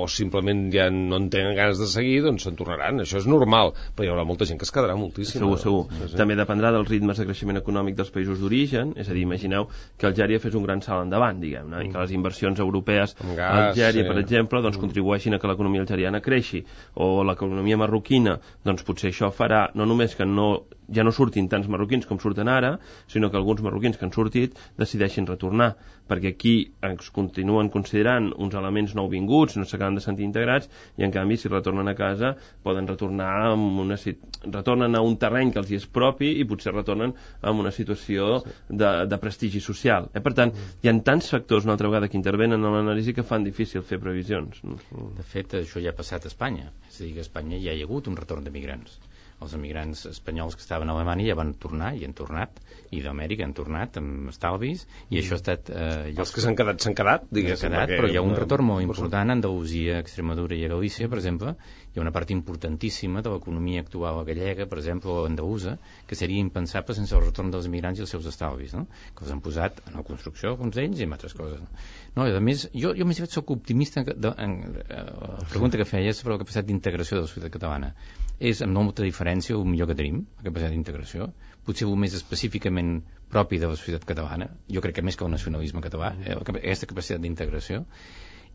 S1: o simplement ja no en tenen ganes de seguir, doncs se'n tornaran. Això és normal, però hi haurà molta gent que es quedarà moltíssim.
S4: Segur, segur. Sí, sí. També dependrà dels ritmes de creixement econòmic dels països d'origen, és a dir, imagineu que Algèria fes un gran salt endavant, diguem-ne, i que les inversions europees a Algèria, per exemple, doncs contribueixin a que l'economia algeriana creixi, o l'economia marroquina, doncs potser això farà no només que no, ja no surtin tants marroquins com surten ara, sinó que alguns marroquins que han sortit decideixin retornar, perquè aquí ens continuen considerant uns elements nouvinguts, no s'acaben de sentir integrats, i en canvi si retornen a casa poden retornar amb una, retornen a un terreny que els hi és propi i potser retornen amb una situació de, de prestigi social. Eh? Per tant, hi ha tants factors una altra vegada que intervenen en l'anàlisi que fan difícil fer previsions.
S8: De fet, això ja ha passat a Espanya. És a dir, que a Espanya ja hi ha hagut un retorn d'emigrants. Els emigrants espanyols que estaven a Alemanya ja van tornar i han tornat, i d'Amèrica han tornat amb estalvis, i això ha estat... Eh,
S1: els que s'han quedat, s'han quedat, diguéssim.
S8: Quedat, perquè... Però hi ha un retorn molt important a Andalusia, Extremadura i a Galícia, per exemple. Hi ha una part importantíssima de l'economia actual gallega, per exemple, o andalusa, que seria impensable sense el retorn dels emigrants i els seus estalvis, no? Que els han posat en la construcció, alguns d'ells, i en altres coses. No, i a més, jo, jo més soc optimista en, en, en, en la pregunta que feia sobre la capacitat d'integració de la societat catalana. És amb molta diferència el millor que tenim, la capacitat d'integració, potser el més específicament propi de la societat catalana, jo crec que més que el nacionalisme català, eh, aquesta capacitat d'integració,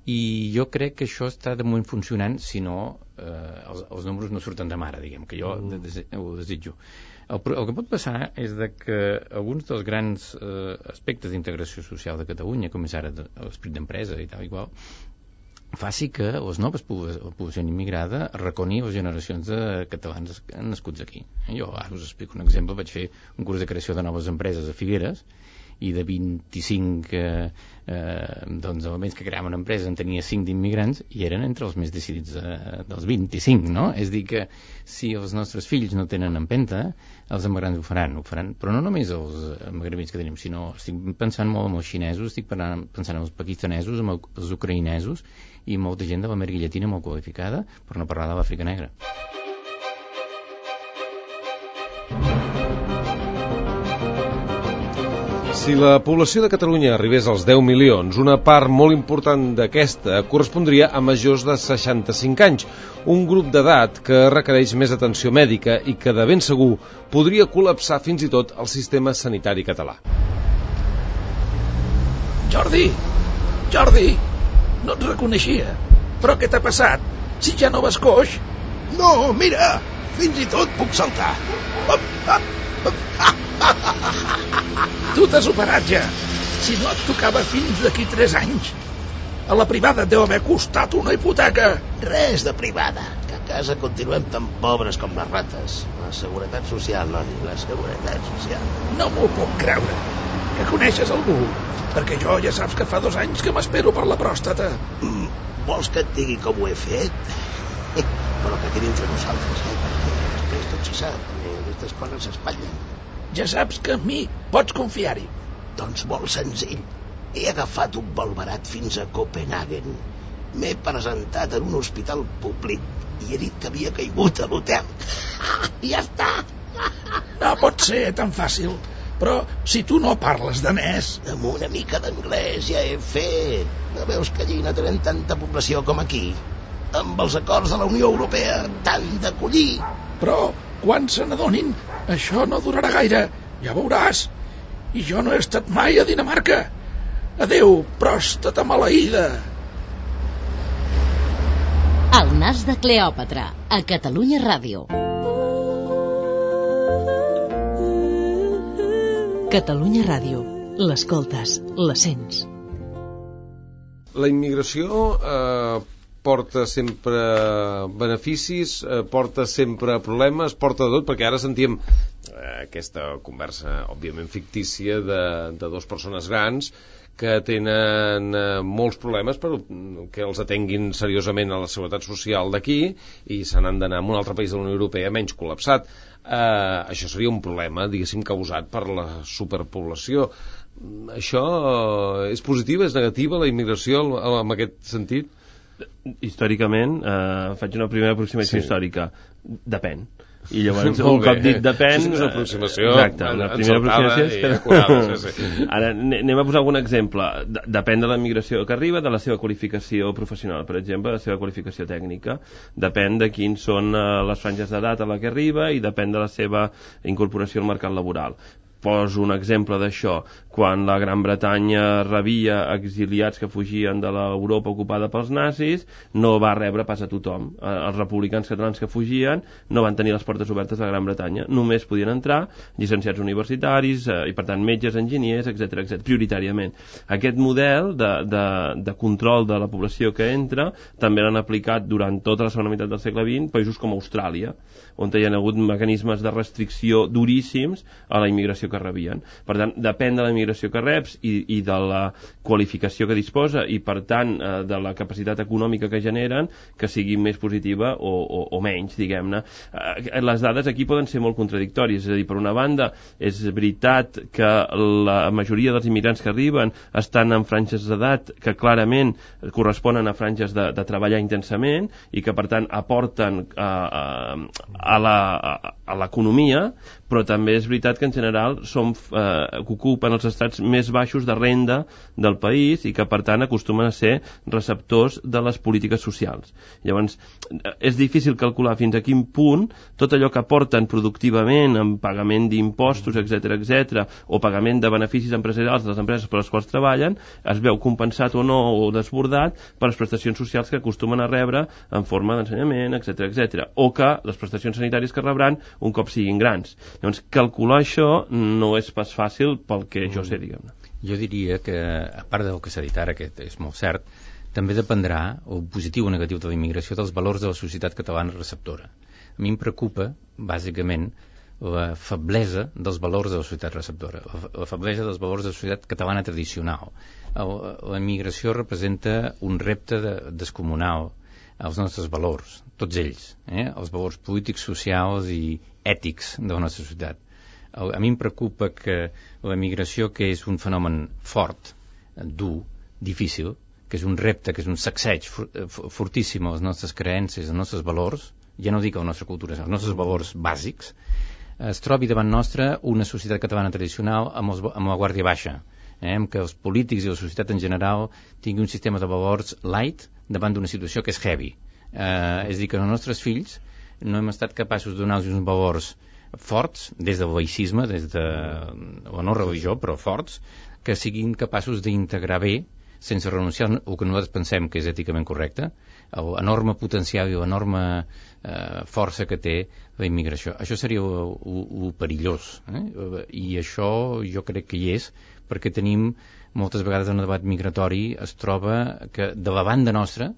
S8: i jo crec que això està de moment funcionant, si no eh, els, els números no surten de mare, diguem, que jo de, de, ho desitjo. El, el que pot passar és de que alguns dels grans eh, aspectes d'integració social de Catalunya, com és ara l'esperit d'empresa i tal i qual, faci que les noves població immigrada reconi les generacions de catalans nascuts aquí. Jo ara us explico un exemple. Vaig fer un curs de creació de noves empreses a Figueres, i de vint-i-cinc eh, eh, doncs, elements que creaven una empresa en tenia cinc d'immigrants i eren entre els més decidits eh, dels vint-i-cinc, no? És dir que si els nostres fills no tenen empenta, els emigrants ho faran, ho faran, però no només els magrebins que tenim, sinó estic pensant molt en els xinesos, estic pensant en els pakistanesos, en els ucraïnesos i molta gent de l'Amèrica Llatina molt qualificada, per no parlar de l'Àfrica Negra.
S1: Si la població de Catalunya arribés als deu milions, una part molt important d'aquesta correspondria a majors de seixanta-cinc anys, un grup d'edat que requereix més atenció mèdica i que de ben segur podria col·lapsar fins i tot el sistema sanitari català.
S9: Jordi! Jordi! No et reconeixia. Però què t'ha passat? Si ja no vas coix?
S5: No, mira! Fins i tot puc saltar. Op, op, op.
S9: Tu t'has operat ja. Si no et tocava fins d'aquí tres anys. A la privada et deu haver costat una hipoteca.
S5: Res de privada, que a casa continuem tan pobres com les rates. La seguretat social, noni, la seguretat social.
S9: No m'ho puc creure. Que coneixes algú? Perquè jo ja saps que fa dos anys que m'espero per la pròstata.
S5: Mm, vols que et digui com ho he fet? Però que quedi entre nosaltres, eh? Perquè després tot se sap, aquestes coses s'espatllen.
S9: Ja saps que amb mi pots confiar-hi.
S5: Doncs molt senzill. He agafat un vol barat fins a Copenhagen. M'he presentat en un hospital públic i he dit que havia caigut a l'hotel. Ja està.
S9: No pot ser tan fàcil. Però si tu no parles danès...
S5: Amb una mica d'anglès ja he fet. No veus que allí no tenen tanta població com aquí? Amb els acords de la Unió Europea t'han d'acollir.
S9: Però quan se n'adonin, això no durarà gaire, ja veuràs. I jo no he estat mai a Dinamarca. Adéu, pròstata maleïda.
S3: El nas de Cleòpatra, a Catalunya Ràdio.
S7: Catalunya Ràdio. L'escoltes, la sents.
S1: La immigració eh, porta sempre beneficis, eh, porta sempre problemes, porta de tot, perquè ara sentíem eh, aquesta conversa, òbviament fictícia, de, de dues persones grans que tenen eh, molts problemes però que els atenguin seriosament a la seguretat social d'aquí i se n'han d'anar a un altre país de la Unió Europea menys col·lapsat. Eh, això seria un problema, diguéssim, causat per la superpoblació. Això és positiva, és negativa, la immigració en aquest sentit?
S4: Històricament, eh, faig una primera aproximació sí. històrica. Depèn. I llavors,
S1: un
S4: cop dit depèn...
S1: Això és una aproximació...
S4: Exacte, una primera aproximació... És que...
S1: acurada, sí, sí.
S4: Ara, anem a posar algun exemple. Depèn de la migració que arriba, de la seva qualificació professional, per exemple, de la seva qualificació tècnica. Depèn de quins són les franges d'edat a la que arriba i depèn de la seva incorporació al mercat laboral. Poso un exemple d'això. Quan la Gran Bretanya rebia exiliats que fugien de l'Europa ocupada pels nazis, no va rebre pas a tothom. Els republicans catalans que fugien no van tenir les portes obertes a la Gran Bretanya. Només podien entrar llicenciats universitaris eh, i, per tant, metges, enginyers, etcètera, etcètera, prioritàriament. Aquest model de, de, de control de la població que entra també l'han aplicat durant tota la segona meitat del segle vint països com Austràlia, on hi ha hagut mecanismes de restricció duríssims a la immigració que rebien. Per tant, depèn de la immigració que reps i, i de la qualificació que disposa i, per tant, eh, de la capacitat econòmica que generen, que sigui més positiva o, o, o menys, diguem-ne. Eh, les dades aquí poden ser molt contradictòries. És a dir, per una banda, és veritat que la majoria dels immigrants que arriben estan en franges d'edat que clarament corresponen a franges de, de treballar intensament i que, per tant, aporten a, a a l'economia, però també és veritat que en general som, eh, ocupen els estrats més baixos de renda del país i que per tant acostumen a ser receptors de les polítiques socials. Llavors és difícil calcular fins a quin punt tot allò que aporten productivament en pagament d'impostos, etcètera, etcètera, o pagament de beneficis empresarials de les empreses per les quals treballen, es veu compensat o no o desbordat per les prestacions socials que acostumen a rebre en forma d'ensenyament, etcètera, etcètera, o que les prestacions sanitàries que rebran un cop siguin grans. Llavors, calcular això no és pas fàcil pel que jo sé, diguem-ne.
S8: Jo diria que, a part del que s'ha dit ara, que és molt cert, també dependrà, o positiu o negatiu de la immigració, dels valors de la societat catalana receptora. A mi em preocupa, bàsicament, la feblesa dels valors de la societat receptora, la feblesa dels valors de la societat catalana tradicional. La immigració representa un repte de, descomunal als nostres valors, tots ells, eh? Els valors polítics, socials i ètics de la nostra societat. A mi em preocupa que la migració, que és un fenomen fort, dur, difícil, que és un repte, que és un sacseig fortíssim a les nostres creences, als nostres valors, ja no dic a la nostra cultura, als nostres valors bàsics, es trobi davant nostra una societat catalana tradicional amb, els, amb la guàrdia baixa, eh? Amb que els polítics i la societat en general tinguin un sistema de valors light davant d'una situació que és heavy. Eh, és a dir, que els nostres fills no hem estat capaços de donar-los uns valors forts, des del laïcisme, des de la no religió, però forts, que siguin capaços d'integrar bé, sense renunciar al que nosaltres pensem que és èticament correcte, l'enorme potencial i l'enorme eh, força que té la immigració. Això seria el perillós, eh? I això jo crec que hi és, perquè tenim moltes vegades en el debat migratori es troba que de la banda nostra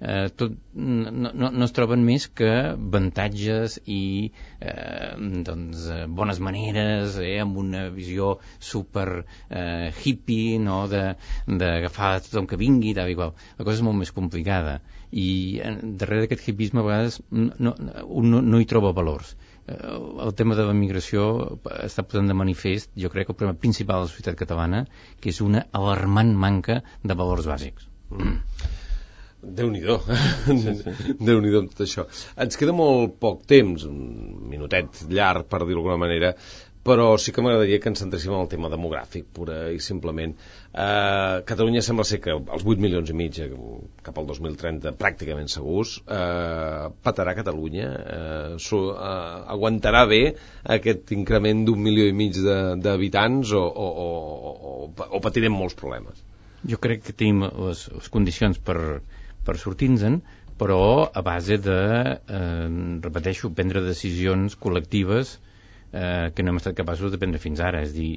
S8: eh, tot, no, no, no es troben més que avantatges i eh, doncs, bones maneres, eh, amb una visió super eh, hippie, no? d'agafar tothom que vingui, tal i qual. La cosa és molt més complicada i eh, darrere d'aquest hippisme a vegades no, no, no, no hi troba valors. El tema de la migració està posant de manifest, jo crec, el problema principal de la societat catalana, que és una alarmant manca de valors bàsics.
S1: Mm. Déu-n'hi-do. Déu-n'hi-do amb tot això. Ens queda molt poc temps, un minutet llarg, per dir-ho d'alguna manera, però sí que m'agradaria que ens centréssim en el tema demogràfic, pura i simplement. Eh, Catalunya sembla ser que els vuit milions i mig cap al dos mil trenta pràcticament segurs, eh, patarà Catalunya, eh, so, eh, aguantarà bé aquest increment d'un milió i mig d'habitants o, o, o, o, o patirem molts problemes?
S8: Jo crec que tenim les, les condicions per, per sortir-nos-en, però a base de, eh, repeteixo, prendre decisions col·lectives eh, que no hem estat capaços de prendre fins ara. És a dir,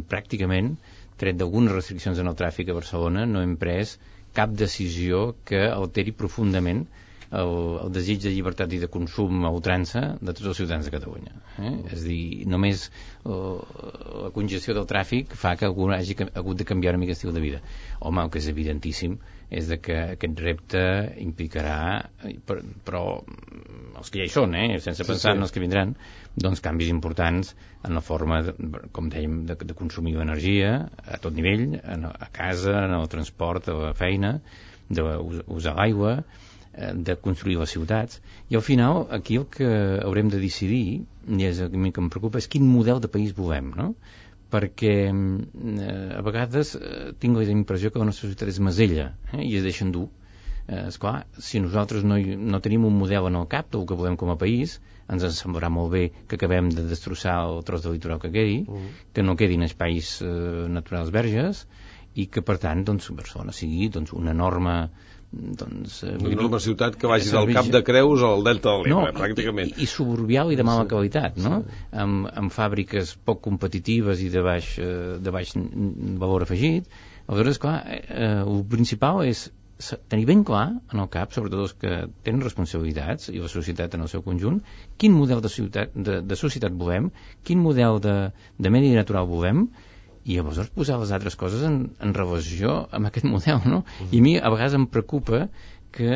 S8: pràcticament, tret d'algunes restriccions en el tràfic a Barcelona, no hem pres cap decisió que alteri profundament el, el desig de llibertat i de consum a ultrança de tots els ciutadans de Catalunya. Eh? És a dir, només uh, la congestió del tràfic fa que algú hagi hagut de canviar una mica l'estil de vida. Home, el que és evidentíssim és de que aquest repte implicarà, però els que ja hi són, eh? sense pensar sí, sí. en els que vindran, doncs canvis importants en la forma, de, com dèiem, de, de consumir energia a tot nivell, a casa, en el transport, a la feina, d'usar l'aigua, de construir les ciutats, i al final aquí el que haurem de decidir, i és el que em preocupa, és quin model de país volem, no? Perquè eh, a vegades eh, tinc la impressió que la nostra societat és masella, eh, i es deixen dur. Eh, esclar, si nosaltres no, no tenim un model en el cap del que volem com a país, ens en semblarà molt bé que acabem de destrossar el tros de litoral que quedi, uh-huh. que no quedin espais eh, naturals verges, i que per tant doncs, Barcelona sigui doncs, una enorme doncs,
S1: una enorme ciutat que vagi del Cap de Creus al Delta de l'Ebre, no, pràcticament.
S8: I, i suburbial i de mala
S1: sí.
S8: qualitat, no? Sí. Amb, amb fàbriques poc competitives i de baix, de baix valor afegit. Aleshores, clar, eh, el principal és tenir ben clar en el cap, sobretot els que tenen responsabilitats i la societat en el seu conjunt, quin model de, ciutat, de, de societat volem, quin model de, de medi natural volem, i llavors posar les altres coses en, en relació amb aquest model, no? Uh-huh. I a mi a vegades em preocupa que,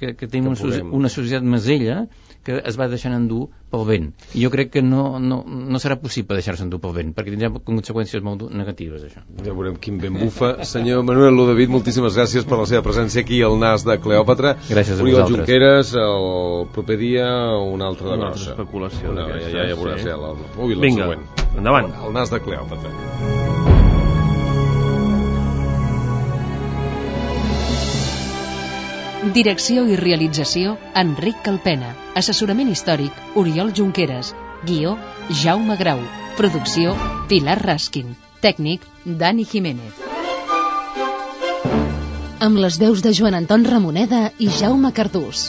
S8: que, que tenim que una, una societat masella que es va deixant endur pel vent. I jo crec que no, no, no serà possible deixar-se endur pel vent, perquè tindrà conseqüències molt negatives, això.
S1: Ja veurem quin vent bufa. Senyor Manuel Ludovic, moltíssimes gràcies per la seva presència aquí al Nas de Cleòpatra.
S8: Gràcies a
S1: Oriol
S8: vosaltres.
S1: Junqueres, el proper dia una altra de
S4: una
S1: grossa.
S4: Una altra especulació.
S1: Una, ja, ja, ja veuràs, sí. ja, la, ui, la
S4: Vinga,
S1: següent.
S4: Endavant.
S1: El Nas de Cleòpatra.
S7: Direcció i realització, Enric Calpena. Assessorament històric, Oriol Junqueras. Guió, Jaume Grau. Producció, Pilar Raskin. Tècnic, Dani Jiménez. Amb les veus de Joan Anton Ramoneda i Jaume Cardús.